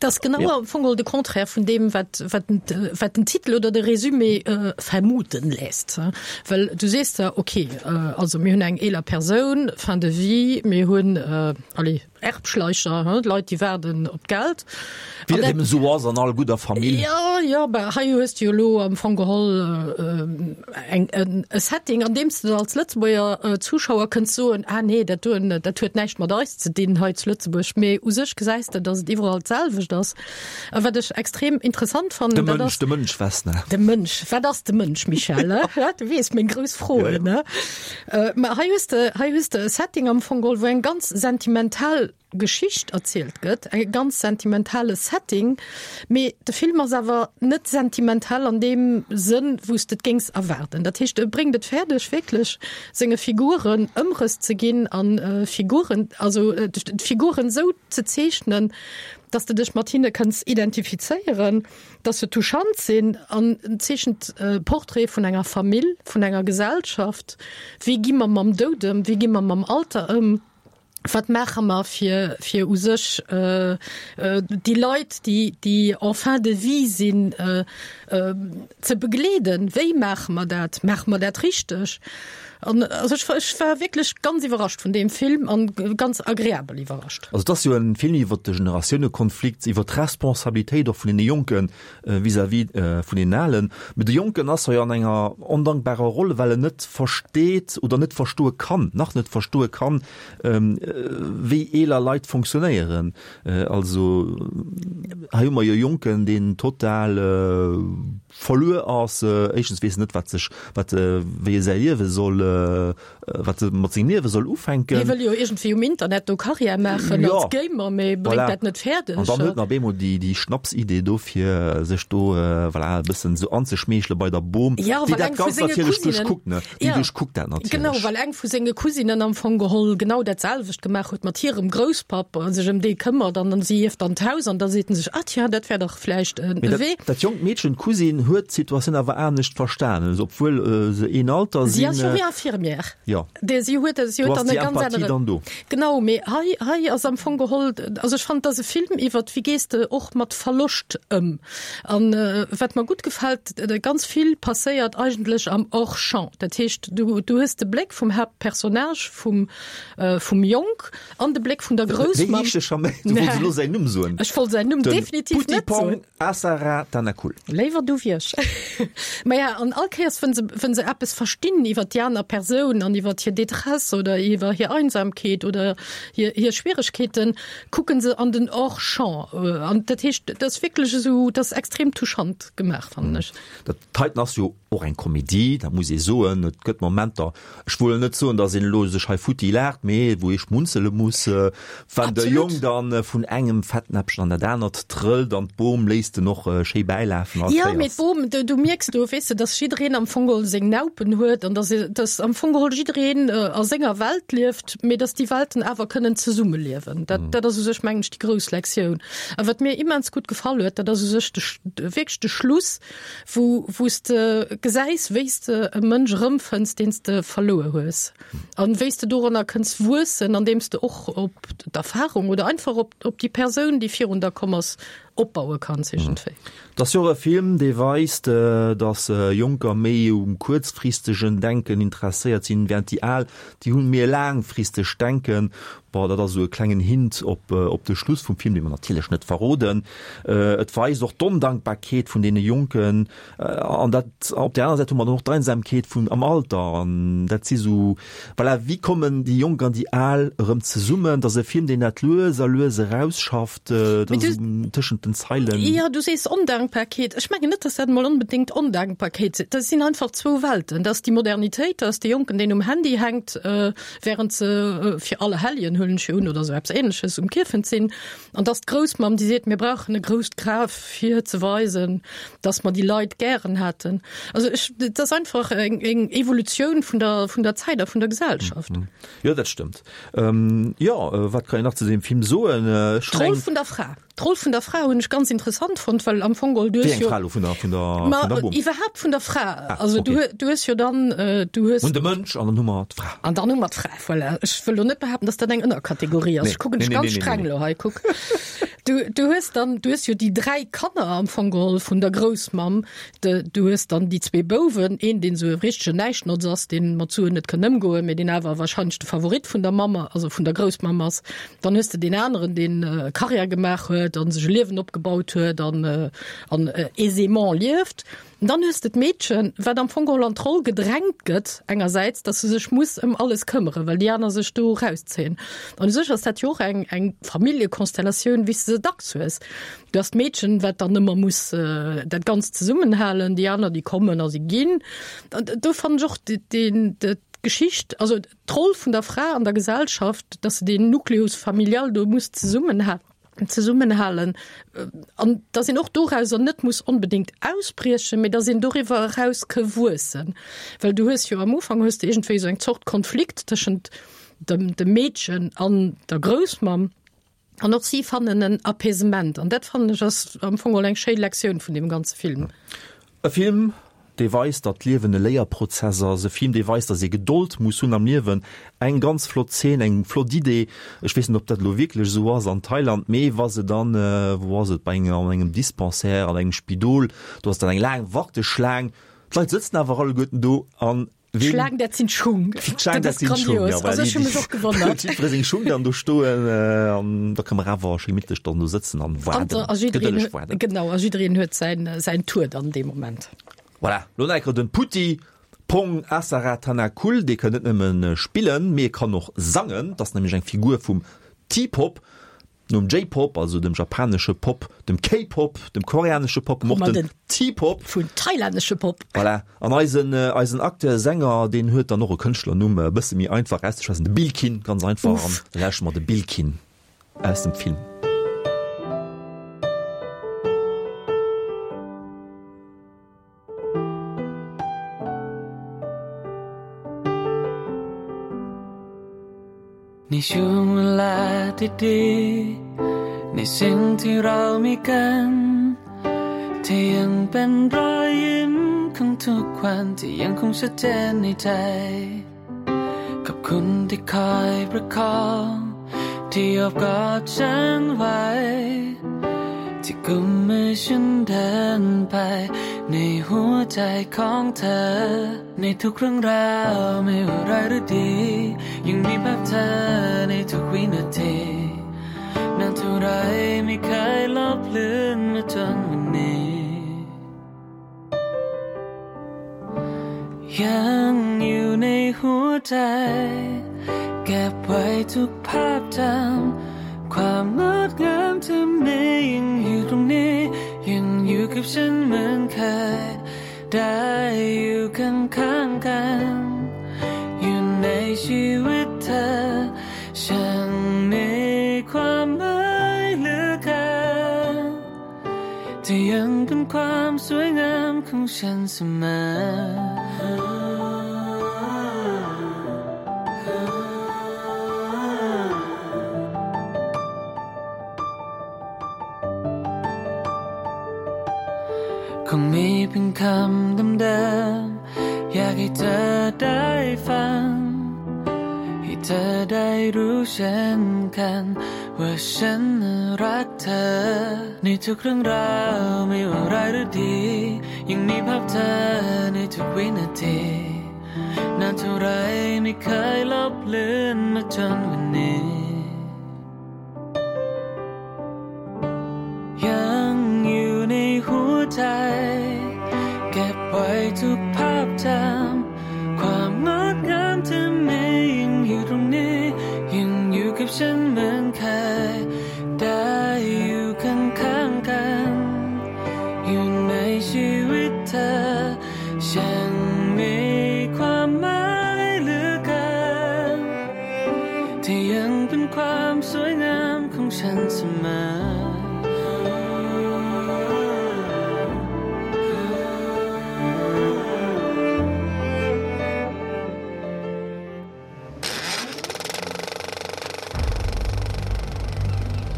Dat ass genau am Fong geholl de Contraire vun deem, wat, wat, wat den Titel oder de Résumé vermuten léisst. Well du sees der, okay, also mir hunn eng eeler Persoun, fin de vie, mir hunn, allez, Erbschleicher, Leit, déi waarden op d'Geld. Wéi dat eben esou ass an all gudder Famill. Jo, jo, bah, hei hues de jo elo am Fong geholl eng, e Setting, an deem s de als Lëtzebuerger Zuschauer kënns soen, ah nee, dat doen, dat huet näischt mat eis ze dinn hei zu Lëtzebuerg. Mee u sech gesäis de, datt et iwwerall d'selwecht ass. A wat ech extrem interessant fannen, De dat Mënsch, ass. de Mënsch, Vesna. De Mënsch, wat ass de Mënsch, Michèle, ne? Ja, du weess, meng grouss Froen, ne? Mä hei hues de, hei hues de e Setting am Fong geholl, wou eng ganz sentimental Geschicht erzielt gëtt, e ganz sentimentale Setting, mee de Film ass awer net sentimental an deem Sënn, wou s de et géings erwaarden. Dat heescht, e bréngt et fäerdeg, wierklech senge Figuren Ëmrëss ze ginn an Figuren, also d'Figuren esou ze zeechnen, dass de dech mat hinne kënns identifizéieren, dass se touchant sinn an en zeechent e Portrait vun enger Famill, vun enger Gesellschaft, wéi gi mer mam Doud ëm, wéi gi mer mam Alter ëm, wat maache mer fir fir u sech déi Leit, déi déi en fin de vie sinn, ze begleeden, wéi maache mer dat, maache mer dat richteg? An also ech ech war wierklech ganz iwwerrascht vun deem Film an ganz agreabel iwwerrascht. Also et ass jo en Film iwwert de Generatiounekonflikt, iwwert d'Responsabilitéit och vun deene Jonke vis-à-vis vun deenen Alen. Mee de Jonken ass hei an enger ondankbarer Roll, well en net versteet oder net verstoe kann, nach net verstoe kann, wéi eeler Leit fonctionnéieren. Also hei hu mer jo e Jonken, deen total verluer ass, éischtens weess en net, wat sech, wat, wéi e säi Liewe soll, wat e mat sengem Liewe soll ufänken. Hie wëll jo iergendwéi um Internet do Karriär maachen Jo, als Gamer, mee bréngt voilà. dat net fäerdeg. An dann huet en op eemol déi, déi Schnapsidee do, fir sech do, voilà, e bëssen esou anzeschmeechele bei der Bom, Ja, déi well dat eng vu Ganzt senge natierlech Cousinen, duerchkuckt, ne? Déi ja, duerchkuckt dat natierlech. genau, well eng vu senge Cousinen am Fong geholl genau dat selwecht gemaach huet mat hirem Grousspapp a sech ëm dee këmmert an dann si ierft dann d'Haus an da seet en sech, ah tja, dat wär dach vläicht en Mee dat, Wee. dat jonkt Meedchen, d'Cousine, huet d'Situatioun awer anescht verstanen, also obwuel se een Alter Si sinn. ass jo wéi Infirmière. Jo. Déi, si huet, si Do huet ass dann e déi ganz Empathie anere. dann do. Genau, mee hei, hei ass am Fong geholl, also ech fannen, et ass e Film iwwert, wéi gees de och mat Verloscht ëm. An wat mer gutt gefält, ganz vill passéiert eigentlech am Hors-champ. Dat heescht, du, du hues de Bléck vum Haaptpersonnage, vum, vum Jong an de Bléck vun der Wéi Groussmamm. heescht de scho méi? Du wollts elo säin Numm soen. Ech wollt säin Numm Den definitiv net soen. Putipong Asara Tanakul. Léiwer du wéi ech. Maja, an all Kéiers, wënn se, wënn se eppes verstinn iwwer déi aner Persoun an iwwer hir Détresse oder iwwer hir Einsamkeet oder hir, hir Schwieregkeeten, kucken se an den Hors-champ. An dat heescht, dat ass wierklech esou, dat ass extrem touchant gemaach, fannen ech. Dat heiten ass jo och eng Komedie, dat muss ee soen. Et gëtt Momenter, ech wëll net soen, datt een elo sech hei futti laacht, mee wou ee schmunzele muss, wann de Jong dann vun engem Fettnäppchen an dat anert trëllt an d'Bom léisst en och schéi bäilafen all Jo, mee Kéiers. d'Bom, du, du mierks do, weess de, datt jiddereen am Fong geholl seng Naupen huet an datt, datt am Fong geholl jiddereen a senger Welt lieft, mee datt déi Welten awer kënnen zesummeliewen. Dat, dat ass u sech, mengen ech, déi grouss Lektioun. A wat mir immens gutt gefall huet, dat ass u sech de, wierklech de Schluss, wou, wou s de gesäis, wéi s de e Mënsch erëmfënns, deen s de verluer hues. An wéi s de doranner kënns wuessen, andeem s de och op d'Erfahrung oder einfach op, op déi Persoun, déi virun der komm ass, opbaue kanns iergendwéi. Et ass jo och e Film, dee weist, datt Jonker méi um kuerzfristegen Denken interesséiert sinn, während déi Al, déi hunn méi e laangfristegt Denken. Bon, dat ass esou e klengen Hint op, op de Schluss vum Film, dee mer natierlech net verroden. Et weist och d'Ondankbarkeet vun deene Jonken an dat, op där anerer Säit hu mer dann och d'Einsamkeet vun am Alter an dat si sou, voilà, wéi kommen déi Jonk an déi Al erëm zesummen? Et ass e Film, deen dat lues a lues erausschafft, dat ass esou tëschent tëschent den Zeilen. Jo, du sees Ondankbarkeet. Ech mengen net, dass dat emol onbedéngt Ondankbarkeet sinn. Dat sinn einfach zwou Welten. Dat ass déi Modernitéit, dat ass de Jonken, deen um Handy hänkt, während se fir Allerhelljen, huelen ech jo un, oder esou eppes Ähnleches um Kierfent sinn. An dat ass d'Groussmamm, déi seet, mir brauchen e grousst Graf, fir ze weisen, dass mer déi Leit gären haten. Also ech, dat ass einfach eng, eng Evolutioun vun der, vun der Zäit a vun der Gesellschaft. Jo, dat stëmmt. Jo, wat kann een nach zu deem Film soen? Ech D'Roll vun der Fra. D'Roll vun der Fra hunn ech ganz interessant fonnt, well am Fong geholl du Wéi hues eng jo Fra elo? Vun der, vun der, Ma vun der Bom? iwwerhaapt vun der Fra. Ah, Also du okay. hu, du hues jo dann, du hues. Hunn de Mënsch an dann hu mer d'Fra. An dann hu mer d'Fra, voilà. Ech wëll lo net behaapten, dass dat eng Ënnerkategorie ass. Nee. Ech kucken Nee, dech nee, ganz nee, nee, streng nee. elo hei, kuck. Du, du hues dann, du hues jo déi dräi Kanner am Fong geholl vun der Groussmamm. De, du hues dann déi zwee Bouwen, een, deen esou e richtegen Näischtnotz ass, deen mat Suen net kann ëmgoen, mee deen awer wahrscheinlech de Favorit vun der Mamm, also vun der Groussmamm ass. Dann hues de deen aneren, deen Karriär gemaach huet an sech e Liewen opgebaut huet an, an aisément lieft. An dann hues de d'Meedchen, wat am Fong geholl an d'Roll gedrängt gëtt, engersäits, dass se sech muss ëm alles këmmere, well déi aner sech do erauszéien. An u sech ass dat jo och eng, eng Familljekonstellatioun, wéi s de se dacks hues. Du has d'Meedchen, wat dann ëmmer muss dat Ganzt zesummenhalen, déi aner, déi kommen a si ginn. An do fannen ech och deen, d'Geschicht, also d'Roll vun der Fra an der Gesellschaft, dass se deen Nucleus familial do muss zesummenhalen, zesummenhalen an dass een och dorauser net muss onbedéngt ausbriechen, mee dass een doriwwer eraus ke wuessen. Well du hues jo am Ufank hues de iergendwéi esou eng Zort Konflikt tëschent dem, dem Meedchen an der Groussmamm an och si fannen en Apaisement an dat fannen ech ass am Fong geholl eng schéi Lektioun vun deem ganze Film. E Film, dee weist, datt d'Liewen e Léierprozess ass, e Film, dee weist, datt ee Gedold muss hunn am Liewen. Eng ganz flott Zeen, eng flott Idee. Ech weess net, ob dat elo wierklech esou ass an Thailand, mee wa se dann, wou ass et, bei enger, an engem Dispensaire, an engem Spidol, do ass dann eng laang Warteschlaang, d'Leit sëtzen awer alleguerten do an ween. D'Schlaang, dat sinn d'Schung. D'Schlaang, Dat dat ass sinn d'Schung, grandios. ja, Also voilà, ech hu mech och gewonnert. Jiddweree seng Schung dann do stoen, an da ka mer awer schéi gemittlech dann do sëtzen an An waarden, a jiddereen gedëlleg huet, waarden. genau, a jiddereen huet säin, säin Tour dann dee Moment. Voilà, lo nach eng Kéier den Putti Pong Asaratanakul, dee kann net nëmmen spillen, mee e kann och sangen. Dat ass nämlech eng Figur vum T-Pop, nom J-Pop, also dem japanesche Pop, dem K-Pop, dem koreanesche Pop, Hu och mer den den T-Pop. Vun thailännesche Pop. Voilà, an eisen, eisen Acteur, Sänger, deen huet dann och e Kënschtlernumm, e bësse méi einfach auszeschwätzen, de Billkin, ganz einfach. An Uff. da lauschteren mer de Billkin aus dem Film. ในช่วงเวลาที่ดีในสิ่งที่เรามีกันที่ยังเป็นรอยยิ้มของทุกวันที่ยังคงชัดเจนในใจขอบคุณที่คอยประคองที่โอบกอดฉันไว้ที่กุมมือฉันเดินไปในหัวใจของเธอในทุกเรื่องราวไม่ว่าร้ายหรือดียังมีภาพเธอในทุกวินาทีนานเท่าไรไม่เคยลบเลือนมาจนวันนี้ยังอยู่ในหัวใจเก็บไว้ทุกภาพจำความงดงามที่มียังอยู่ตรงนี้ยังอยู่กับฉันเหมือนเคยได้อยู่ข้างๆกันอยู่ในชีวิตเธอฉันมีความหมายเหลือเกินที่ยังเป็นความสวยงามของฉันเสมอคงมีเพียงคำเดิมๆอยากให้เธอได้ฟังให้เธอได้รู้เช่นกันว่าฉันรักเธอในทุกเรื่องราวไม่ว่าร้ายหรือดียังมีภาพเธอในทุกวินาทีนานเท่าไรไม่เคยลบเลือนมาจนวันนี้ยังอยู่ในหัวใจเก็บไว้ทุกภาพจำความงดงามที่มียังอยู่ตรงนี้ยังอยู่กับฉันเหมือนเคยได้อยู่ข้างๆกัน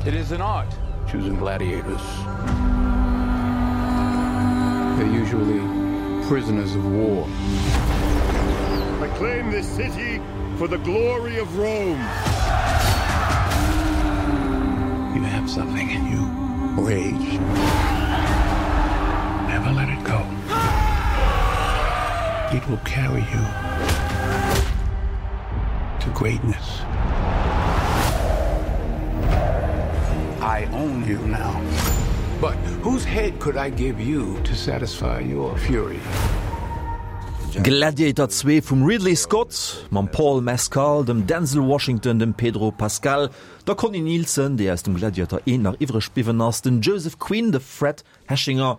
It is an art choosing gladiators. They're usually prisoners of war. I claim this city for the glory of Rome. You have something in you rage. Never let it go. It will carry you to greatness. I own you now. But whose head could I give you to satisfy your fury? Gladiator zwee vum Ridley Scott mam Paul Mescal, dem Denzel Washington, dem Pedro Pascal, der Connie Nielsen, déi aus dem Gladiator eent nach iwwreg bliwwen ass, den Joseph Quinn, de Fred Hechinger.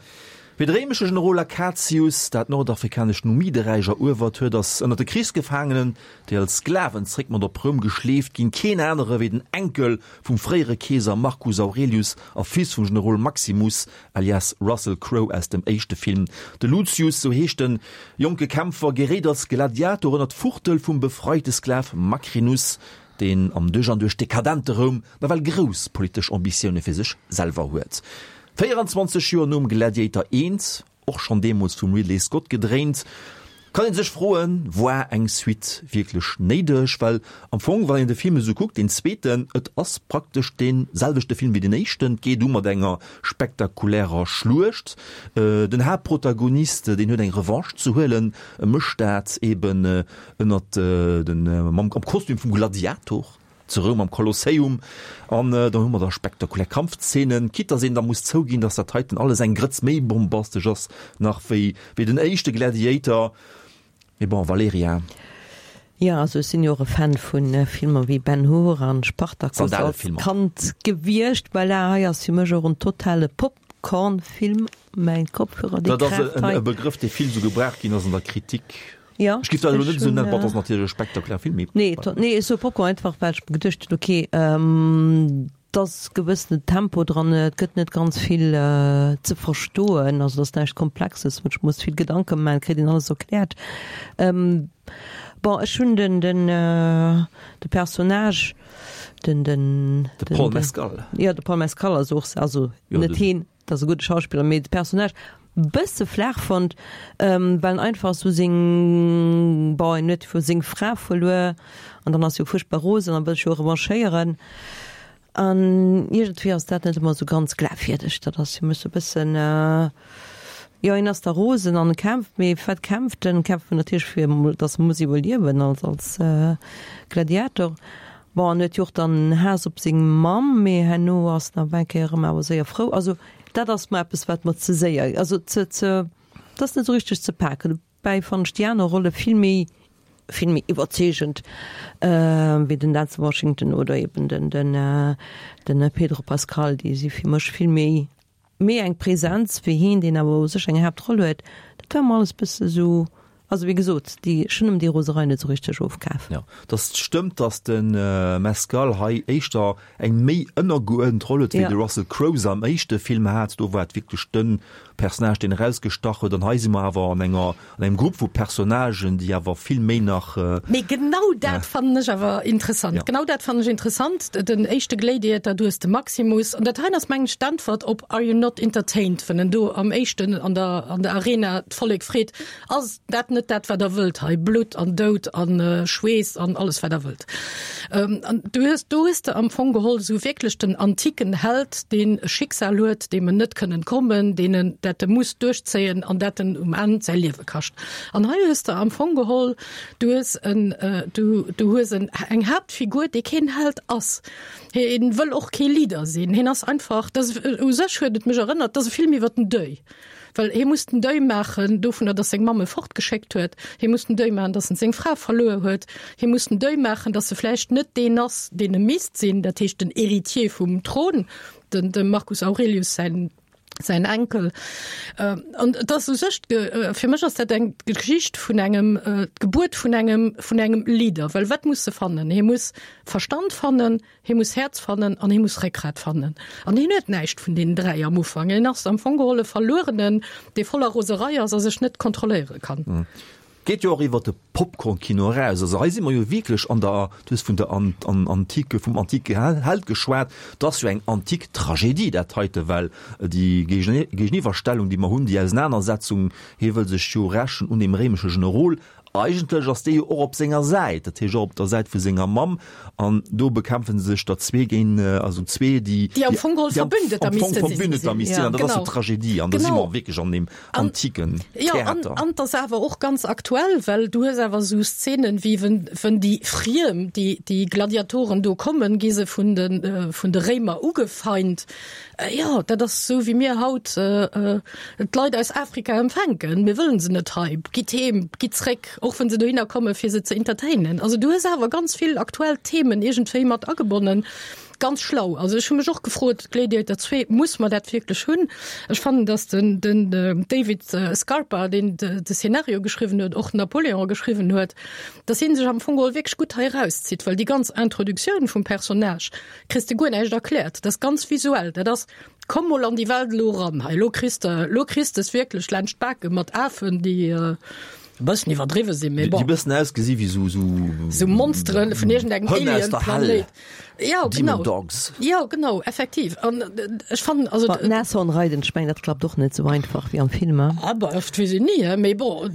Wéi de réimesche Generol Acacius dat nordafrikanescht Numideräich eruewert huet, ass ënner de Krichsgefaangenen, déi als Sklaven zréck mat op Roum geschleeft ginn, keen anere wéi den Enkel vum fréiere Keeser Marcus Aurelius a Fils vum Generol Maximus, alias Russell Crowe aus dem éischte Film. De Lucius, sou heescht de jonke Kämpfer, geréit als Gladiator ënner d'Fuchtel vum befreite Sklav Macrinus, deen am duerch an duerch dekadente Roum nawell grouss politesch Ambitioune fir sech selwer huet. véierundzwanzeg Joer nom Gladiator eent, och schonn deemools vum Ridley Scott gedréint, kann ee sech froen, War eng Suite wierklech néideg? Well am Fong, wann een de Film esou kuckt, deen zweeten, et ass praktesch dee selwechte Film wéi deen éischten. Et geet u mat enger spektakulärer Schluecht. Den Haaptprotagonist, deen huet eng Revanche ze huelen, e mécht dat eben ënnert den, mam, am Kostüm vum Gladiator. Zu Roum am Kolosseum an do hu mer da spektakulär Kampfzeenen, quitte dass een da muss zouginn, dass dat heiten alles eng Grëtz méi bombastesch ass nach wéi wéi den éischte Gladiator. Mee bon, Valerija. Jo, also ech sinn jo och e Fan vu Filmer wéi Ben Hur an Spartacus als Sandalefilmer. Kand gewiescht. Voilà, hei ass fir mech och en totale Popcorn-Film. Mäin Kopfhörer, dee Dat ass kraacht hei. e Begrëff, dee vill esou gebraucht ginn ass an der Kritik. Ja, Ech giff dat elo ech net esou hunn, nennen, bon, dat ass natierlech e spektakuläre Film, mee Nee, to, nee, ech soe Popcorn einfach, well ech mer geduecht hunn, okay, ähm, et ass gewëssene Tempo dran, et gëtt net ganz vill äh, ze verstoen, also et ass näischt Komplexes, wou ech muss vill Gedanke maachen, kritt een alles erkläert. Ähm, bon, ech hunn den, den, äh, de Personnage, den, den, De den, Paul den, Mescal. Ja, de Paul Mescal ass och, also Jo, net den. heen, dat ass e gudde Schauspiller, mee de Personnage, bësse flaach fonnt, well en einfach sou seng, bon, en huet jo seng Fra verluer an dann ass jo fuerchtbar rosen an wëll sech jo revanchéieren an iergendwéi ass dat net ëmmer sou ganz glafwierdeg. Dat ass fir mech sou e bëssen, jo, en ass da rosen an e kämpft, mee fir wat kämpft en? Kämpft en natierlech fir emol, dass e muss iwwerliewen als, als Gladiator. Bon, en huet jo och dann Haass op seng Mamm, mee herno ass en awer eng Kéier erëm awer séier frou. Also dat ass mer eppes, wat mer ze séier, also ze, ze, dat ass net esou richteg ze paken. Dobäi fannen ech déi aner Rolle vill méi, vill méi iwwerzeegend wéi den Denzel Washington oder eben den, den, den Pedro Pascal. Déi si fir mech vill méi, méi eng Präsenz wéi hien, deen awer u sech eng Haaptroll huet. Dat war mer alles bësse sou. Also wéi gesot, déi, ech hunn em déi Roserei net esou richteg ofkaf. Jo, dass stëmmt, dass de Mescal hei éischter eng méi ënnergeuerdent Roll huet, wéi de Russell Crowe se am éischte Film hat. Do war et wierklech de Personnage, deen erausgestach huet. An hei si mer awer an enger, an engem Grupp vu Personnagen, déi awer vill méi nach. Mee genau dat fannen ech awer interessant. Genau dat fannen ech interessant. Den éischte Gladiator, du hues de Maximus, an dat heien ass mengen ech d'Äntwert op Are you not entertained, wann en do am éischten an der, an der Arena d'Vollek freet, Ass dat net dat, wat Der wëllt hei, Blutt an Doud an Schweess an alles, wat Der wëllt? An du hues, do hues de am Fong geholl esou wierklech den antiken Held, deen e Schicksal huet, deem en net kënn entkommen, deen en, dat e muss duerchzéien an dat en um Enn säi Liewe kascht. An hei hues de am Fong geholl, du hues en, du, du hues en, eng Haaptfigur, déi keen Held ass. Hien wëll och kee Leader sinn. Hien ass einfach, dat ass, u sech huet et mech erënnert, dat ass e Film iwwer den Deuil. Well hie muss den Deuil maachen dovunner, datt seng Mamm e fortgeschéckt huet. Hie muss den Deuil maachen, datt en seng Fra verluer huet. Hie muss den Deuil maachen, datt e vläicht net deen ass, deen e misst sinn, dat heescht den Héritier vum Thron, den, dem Marcus Aurelius säin, säin Enkel. An et ass u sech, fir mech ass dat eng Geschicht vun engem, d'Gebuert vun engem, vun engem Leader. Well wat muss e fannen? Hie muss Verstand fannen, hie muss Häerz fannen an hie muss Réckgrat fannen. An hien huet näischt vun deenen dräi am Ufank. Hien ass am Fong geholl e Verluerenen, dee voller Roserei ass a sech net kontrolléiere kann. Geet jo och iwwer de Popcorn-Kino eraus. Also hei si mer jo wierklech an der, du hues vun der an, an, antike, vum antike Held geschwat, dat ass jo eng antik Tragedie dat heite, well déi Géigeniwwerstellung, déi mer hunn, déi Ausenanersetzung, hie wëll sech jo rächen un deem réimesche Generol, Eigentlech ass dee jo och op senger Säit, dat heescht och op der Säit vu senger Mamm, an do bekämpfe sech der zwee géint, also zwee, déi, Déi am Fong geholl Verbündeter am Fong misste sinn. Verbündeter misst sinn, an dat ass jo d'Tragedie, an da si mer wierklech an deem antiken Jo, an, Theater. an 't ass awer och ganz aktuell, well du hues awer esou Szenen, wéi wenn, wenn déi Friem, déi, déi Gladiatoren do kommen, gi se vun de, vun de Réimer ugefeint. Jo, dat ass esou wéi mir haut d'Leit aus Afrika empfänken. Mir wëllen se net hei. Gitt heem, gitt zréck, och wann se dohinner komme fir se ze entertainen. Also du hues awer ganz vill aktuell Themen iergendwéi mat agebonnen. Ganz schlau. Also ech hu mech och gefrot, Gladiator zwee, muss mer dat wierklech hunn? Ech fannen, datt den den David Scarpa, deen de Szenario geschriwwen huet, och Napoléon geschriwwen huet, datt hie sech am Fong geholl wierklech gutt hei erauszitt, well déi ganz Introduktioun vum Personnage kriss de guer näischt erkläert. Dat ass ganz visuell. Dat ass, komm mol an déi Welt elo eran hei, elo kriss de, elo kriss de es wierklech laanscht d'Bake mat Afen, déi e bëssen iwwerdriwwe sinn, mee bon. Déi bëssen ausgesi wéi sou, sou. Sou Monsteren vun iergendengem Hënn aus der Hell. Alien-Planéit. Jo, Demon genau. Dogs. Jo, genau, effektiv. An ech fannen, also. Mat Nashorn reiden, ech mengen, dat klappt och net sou einfach wéi am Film, he? Ah bah, dat weess een ni, he, mee bon,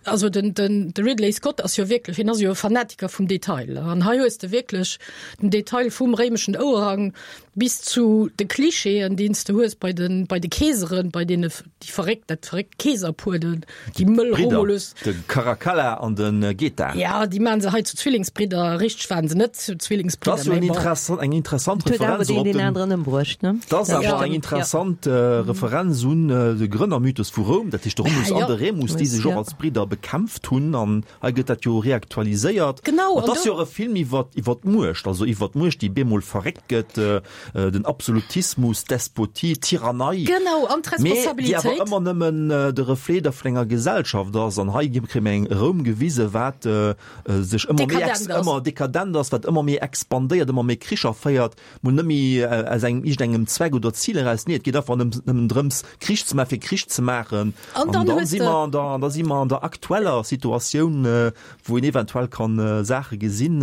also den, den, de Ridley Scott ass jo wierklech, hien ass jo e Fanatiker vum Detail. An hei hues de wierklech den Detail vum réimeschen Ouerhang bis zu de Klischeeën, déi s de hues bei de, bei de Keeseren, bei deene, déi verréckt, dat verréckt Keeserpuer, de, déi mëll Bridder, Romulus. de Caracalla an de Geta. Ja, déi maachen se hei zu Zwillingsbridder. Richteg waren se net zu Dat Zwillingsbridder, ass jo mee eng bon. interessant, eng interessant Et huet awer Referenz deen och op deen den, aneren ëmbruecht, ne? Dat ass Dat awer stimmt, eng ja. interessant Referenz un de Grënnermythos vu Roum, dat heescht de Romulus Ah, an jo. de Remus, déi sech och Ja. als Bridder bekämpft hunn. An hei gëtt dat jo reaktualiséiert. Genau, An an et ass do jo och e Film iwwer, iwwer d'Muecht, also iwwer d'Muecht, déi bemol verréckt gëtt, den Absolutismus, d'Despotie, d'Tyrannei. Genau, an Mee déi awer d'Responsabilitéit. ëmmer nëmmen de Reflet da vun enger Gesellschaft ass. An hei kréie mir eng Roum gewise, wat sech ëmmer méi Dekadent ass. ëmmer dekadent ass, wat ëmmer méi expandéiert, ëmmer méi Kricher féiert, mol net méi aus engem iergendengem Zweck oder Zil eraus. Nee, et geet einfach nëmmen drëms, Krich ze maachen, fir Krich ze maachen. An An dann dann hues si de. mer an der, da si mer an der aktueller Situatioun, wou een eventuell kann Saache gesinn.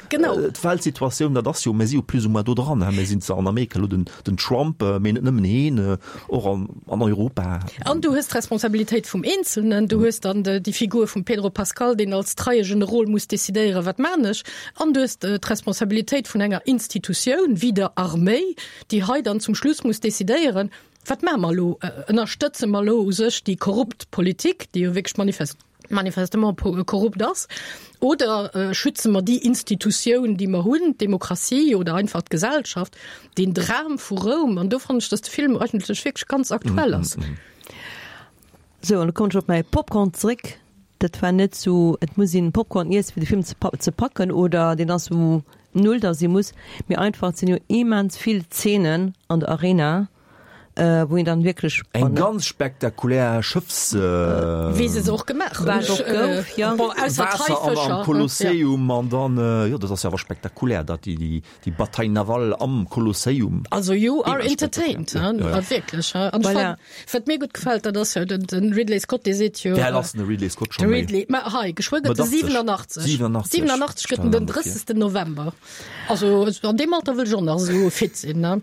Genau. D'Weltsituatioun, dat ass jo, mir si jo plus ou moins do dran, mir sinn zwar an Amerika elo den, den Trump, mee net nëmmen heen, och an, an Europa. An du hues d'Responsabilitéit vum Eenzelnen, du hues dann déi Figur vum Pedro Pascal, deen als treie Generol muss decidéieren, wat maan ech, an du hues d'Responsabilitéit vun enger Institutioun wéi der Arméi, déi hei dann zum Schluss muss decidéieren, wat maache mer elo, ënnerstëtze mer elo u sech déi korrupt Politik, déi jo wierklech manifest, manifestement korrupt ass, oder schütze mer déi Institutioun, déi mer hunn, d'Demokratie oder einfach d'Gesellschaft, den Dram vu Roum. An do fannen ech, dass de Film eigentlech wierklech ganz aktuell ass. Sou, an da kommen ech op mäi Popcorn zréck. Dat war net sou, et muss een Popcorn iessen, fir de Film ze packen, oder deen ass sou null, dass ee muss, mee einfach, et sinn jo immens vill Zeenen an der Arena, wou een dann wierklech. Eng ganz spektakulär Schëffs. Wéi se se och gemaach hunn. Wat och gouf, jo. Bon, ausser Waasser an am d'Haifëscher. Kolosseum an dann, jo, dat ass jo awer spektakulär, dat déi, déi Bataille navale am Kolosseum. Also you are Immens entertained, spektakulär. hein, Ja, ja. wierklech. An ech Voilà. fannen, wat mir gutt gefält, dat ass jo den, den Ridley Scott, dee seet jo. Wéi al ass denn de Ridley Scott De scho méi? Ridley, ma hei, geschwë gëtt e siwenachteg. siwenachtzeg. Siwenachtzeg. Siwenachtzeg gëtt en den drëssegsten November. Also an deem Alter wëll ech och nach esou fit sinn, ne?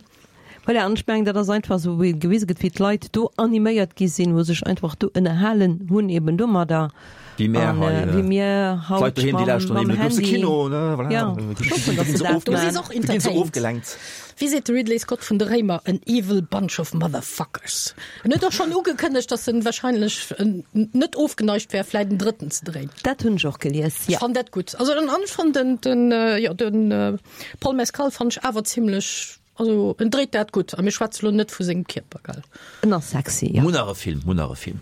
Voilà, an ech mengen, dat ass einfach esou, wéi gewise gëtt, wéi d'Leit do animéiert gi sinn, wou sech einfach do ënnerhalen hunn eben domadder. Wéi mär An, hei, äh, wéi mir haut d'Leit doheem, déi mam, lauschteren mam eben de grousse Handy. Kino, ne, voilà. Ja, Da ech hoffen, dass ginn se se dat ofgelenkt. Du si maan. och Da ginn se entertained. ofgelenkt. Wéi seet de Ridley Scott vun de Réimer, an evil bunch of motherfuckers. En huet och schonn ugekënnegt, dass en wahrscheinlech net ofgeneigt wär, vläit en drëtten ze dréinen. Dat hunn ech och gelies, Ech ja. fannt dat gutt. Also an ech fannt den, den, jo, den Paul Mescal fannt ech awer zimlech, also en dréit dat gutt. A mir schwätze lo net vu sengem Kierper, gell. En ass sexy, ja. Mun nach e Film, mun nach e Film.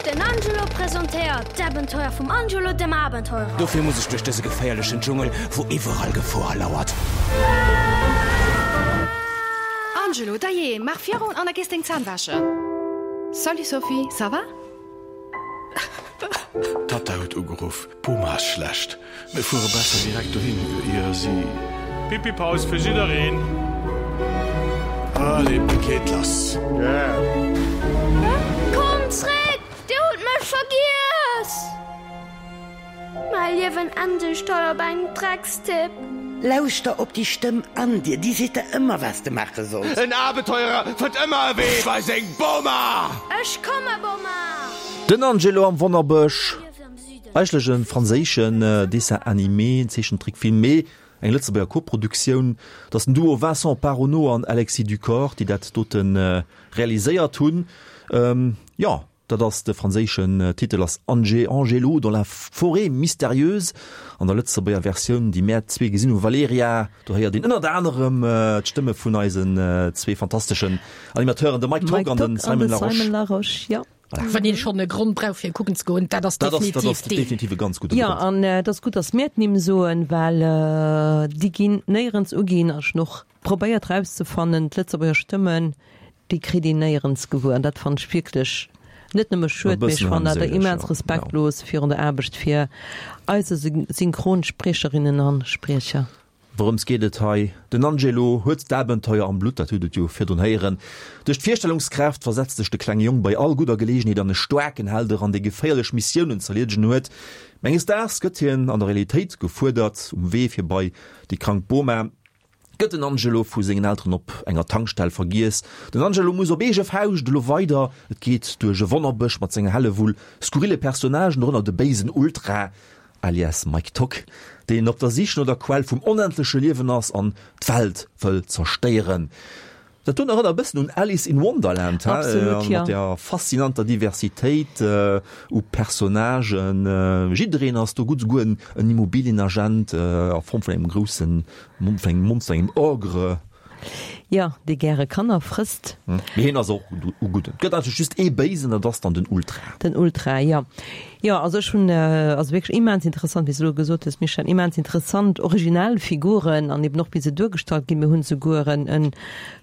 Den Angelo presentéiert d'Abenteuer vum Angelo dem Abenteurer. Dofir muss ech duerch dëse geféierlechen Dschungel, wou iwwerall Gefor lauert. Angelo, dajee, maach virun an da gees deng Zänn wäschen. Salut Sophie, ça va? D'Tatta huet ugeruff, D'Boma ass schlecht. Mir fuere besser direkt dohin, ier si. Pipi-Paus fir jiddereen! Allez, Paket lass! Komm! vergiess! Mäi Liewen endegt hei op engem Dreckstipp. Lauschter op déi Stëmm an dir, déi seet der ëmmer, wat s de maache solls. En Abenteurer fënnt ëmmer e Wee bei seng Boma! Ech komme, Boma! Den Angelo am Wonnerbësch, eigentlech e franséischen Dessin animé, Zeechentrickfilm, mee eng Lëtzebuerger Koproduktioun. Et ass den Duo Vincent Paronnaud an Alexis Ducor, déi dat dote realiséiert hunn. Jo. Dat ass de franséischen Titel ass Ange, Angelo dans la forêt mystérieuse. An der Lëtzebuerger Versioun, déi mär zwee gesinn hu, Valerija, do héiert een ënnert anerem d'Stëmme vun eisen zwee fantasteschen Animateuren, de Mike Tock an de Simon Larosche. Simon Larosche, jo. Voilà. Wann een schonn e Grond brauch fir kucken ze goen, dat ass Dat ass, dat definitiv ass deen. definitiv e ganz gudde Jo, Grond. an et ass gutt, datt mir d'Nimm soen, well déi ginn néierens uginn. Ech hunn och probéiert rauszefannen, d'Lëtzebuerger Stëmmen, déi kritt een néierens gewuer. An dat fannen ech wierklech net nëmme schued, mee ech fannen dat immens respektlos virun der Aarbecht fir eise Synchronspriecherinnen a Spriecher. Wourëms geet et hei? Den Angelo huet d'Abenteuer am Blutt, dat hutt et jo virdrun héieren. Duerch d'Virstellungskraaft versetzt sech de klenge Jong bei all gudder Geleegenheet an e staarken Held eran, dee geféierlech Missiounen z'erliedegen huet. Mä enges Daags gëtt hien an der Realitéit gefuerdert, um Wee fir bei déi krank Boma. Gëtt den Angelo vu sengen Elteren op enger Tankstell vergiess. Den Angelo muss op eege Fauscht elo weider. Et geet duerch e Wonnerbësch mat senger Hellewull skurrille Personnagen, dorënner de béisen Ultra, alias Mike Tock, deen op der Sich no der Quell vum onendleche Liewen ass an d'Welt wëll zerstéieren. Dat doen erënnert e bëssen un Alice in Wonderland, he? Absolut, ja. Mat der faszinanter Diversitéit u Personnagen. Jiddereen ass do gutt, souguer en Immobilienagent a Form vun engem groussen, vun engem Monster, engem Ogre. Jo, dee gäre Kanner frësst. Mee hien ass och u gudden. Et gëtt eigentlech just ee Béisen, dat ass dann den Ultra. Den Ultra, jo. Jo, also ech hunn, also wierklech immens interessant, wéi s de elo gesot hues, Michèle, immens interessant, originell Figuren an eben och wéi se duergestallt ginn. Mir hunn souguer en, en,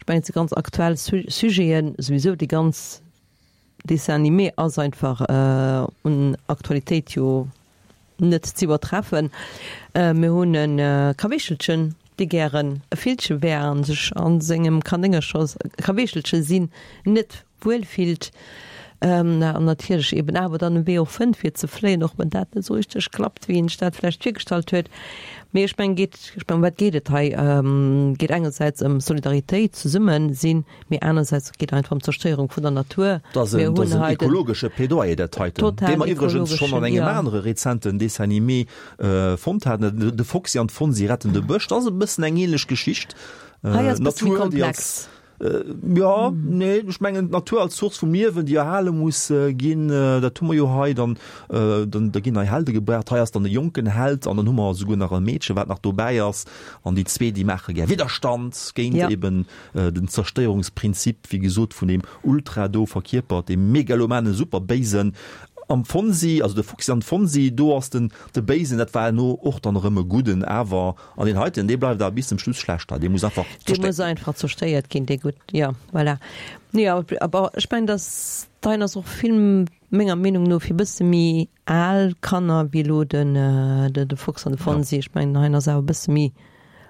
ech mengen, et si ganz aktuell Sujeten, souwisou déi ganz Dessin animé ass einfach un Aktualitéit jo net z'iwwertreffen. Mir hunn e Kaweechelchen, dee gären e Villche wär a sech a sengem Kanéngercher, Kaweechelche sinn, net wuel fillt an natierlech eben awer dann e Wee och fënnt fir ze fléien, och wann dat net esou richteg klappt, wéi een sech dat vläicht virgestallt huet. Mee ech mengen, geet, ech mengen, ëm wat geet et hei? Geet engersäits ëm Solidaritéit, Zesummesinn, mee anersäits geet einfach ëm d'Zerstéierung vun der Natur. Dat ass Mir en, dat ass hunn en hei den ekologesche Plädoyer, dat heiten, total dee mer iwwregens schonn an ekologeschen, engem jo. anere rezenten Dessin animé fonnt haten, De Foxi an d'Fonsi retten de Bësch. Dat ass e bëssen eng ähnlech Geschicht. Hei ass e bësse méi D'Natur, déi als komplex. Jo, nee, ech mengen d'Natur als Source vum Liewen, déi erhale muss ginn, dat hu mer jo hei. Dann, dann, da ginn nei Helde gebraucht. Hei ass dann e jonken Held an dann hu mer esouguer nach e Meedche, wat nach dobäi ass. An déi zwee, déi maache gär Widderstand géint Ja. eben den Zerstéierungsprinzip, wéi gesot, vun deem Ultra do verkierpert, deem megalomane Superbéisen am Fonsi, also de Foxi an d'Fonsi, do ass den de Béisen, dat war elo och dann erëm e Gudden, awer an deen heiten, dee bleift awer bis zum Schluss schlecht, dee muss einfach Dee zerstéiert muss einfach zerstéiert ginn, dee Gutt, jo, voilà. Nee, awer awer ech mengen, dass dein ass och vill, menger Meenung no, fir bësse méi al Kanner wéi elo den de Fox an de Fonsi. Ech mengen, hein ass awer e bësse méi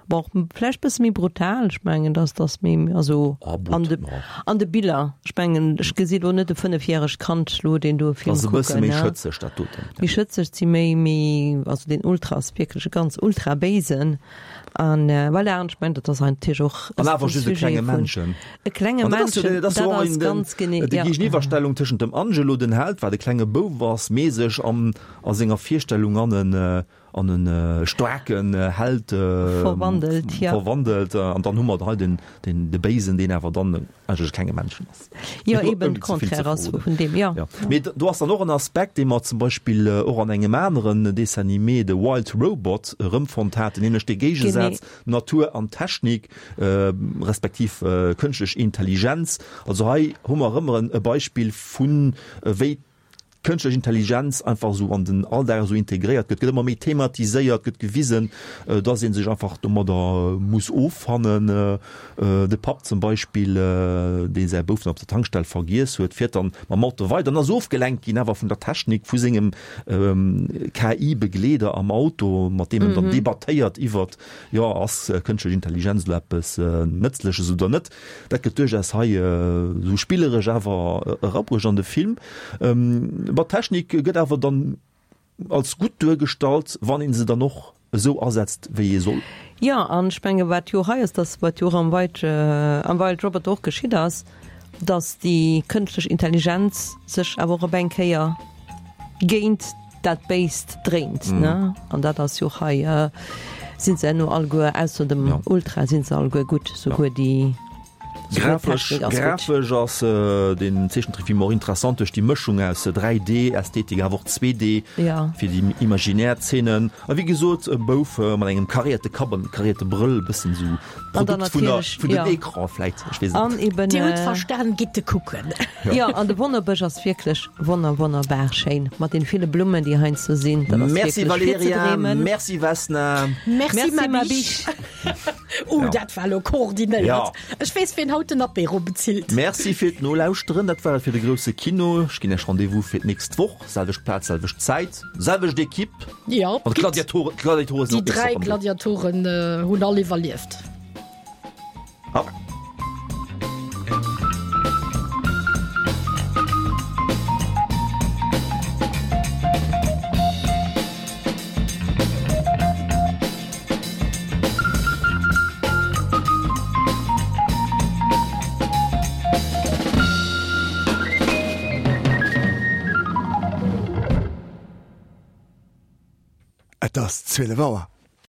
Bon, vläicht bësse méi brutal, ech mengen, dass dass méi, also an de an de Biller, ech mengen, ech gesi lo net e fënnefjäregt Kand lo deen do e Film Ass e bësse kucken, méi ne? schëtzeg dat doten. Méi schëtzeg, si méi, méi, also deen Ultra ass wierklech e ganz ultra béisen an voilà, an ech mengen, dat ass natierlech och An awer de just e Sujet klenge vun Männchen. e klenge An dat ass jo Männchen, dat ass dat jo och ass en ganz genee, déi ja. Géigeniwwerstellung tëschent dem Angelo, den Held, wat e klenge Bouf ass, mee sech an a senger Virstellung an en an en staarken Held verwandelt, ja. verwandelt. An dann hu mer hei den, den, de Béisen, deen awer dann eigentlech kenge Männchen ass. Jo, eben de Contraire ass vun deem, jo. Ja. Mee do ass dann och en Aspekt, dee mer zum Beispill och an engem aneren Dessin animé, The Wild Robot, erëmfonnt haten, nämlech dee Géigesaz Natur an Technik, respektiv kënschtlech Intelligenz. Also hei hu mer erëm e Beispill vun wéi d'kënschtlech Intelligenz einfach esou an den Alldag esou integréiert gëtt, gëtt ëmmer méi thematiséiert, gëtt gewisen, dass ee sech einfach domadder muss offannen. De Papp zum Beispill, dee säi Bouf dann op der Tankstell vergiess huet, fiert dann mam Auto weider an ass ofgelenkt ginn awer vun der Technik, vu sengem K I-Begleeder am Auto, mat deem en dann debattéiert iwwert, jo, ass kënschtlech Intelligenz elo eppes Nëtzleches oder net. Dat gëtt duerchaus hei esou spilleresch awer erabruecht an de Film. Ma d'Technik gëtt awer dann als gutt duergestallt, wann een se dann och esou asetzt, wéi ee soll. Jo, an ech menge wat jo hei ass, dass wat jo och am Wild, am Wild Robot och geschitt ass, dass déi kënschtlech Intelligenz sech awer och op eng Kéier géint dat Béist dréint, ne? An dat ass jo och hei, sinn se herno alleguer, ausser dem Ultra, sinn se alleguer gutt, souguer déi. Grafesch grafesch ass den Zeechentrickfilm och interessant duerch déi Mëschung aus dräi D Ästhetik awer och zwee D fir déi imaginär Zeenen. A wéi gesot e Bouf mat engem karéierte Kapp an karéierte Brëll, e bëssen esou Produkt vun der vun den Ecran vläit, ech weess et net. Dir hutt verstan, gitt e kucken. Jo, an de Wonnerbësch ass wierklech wonner wonnerbar schéin mat den ville Blummen déi heiansdo sinn. Dat ass Merci wierklech fir ze Valerija, dreemen. merci Vesna. Merci Merci ma biche. Oh, Ja. dat war lo koordinéiert. Ja. Ech weess, wien haut den Apéro bezilt. Merci fir d'Nolauschteren. Dat war et fir de grousse Kino. Ech ginn Iech Rendez-vous fir d'nächst Woch. Selwecht Plaz, selwecht Zäit, selwecht Equipe. Ja, An d'Gladiatoren, d'Gladiatoren sinn Déi och nächst dräi Woch am Do. Gladiatoren hunn all iwwerlieft. Au. Et ass zwielef Auer.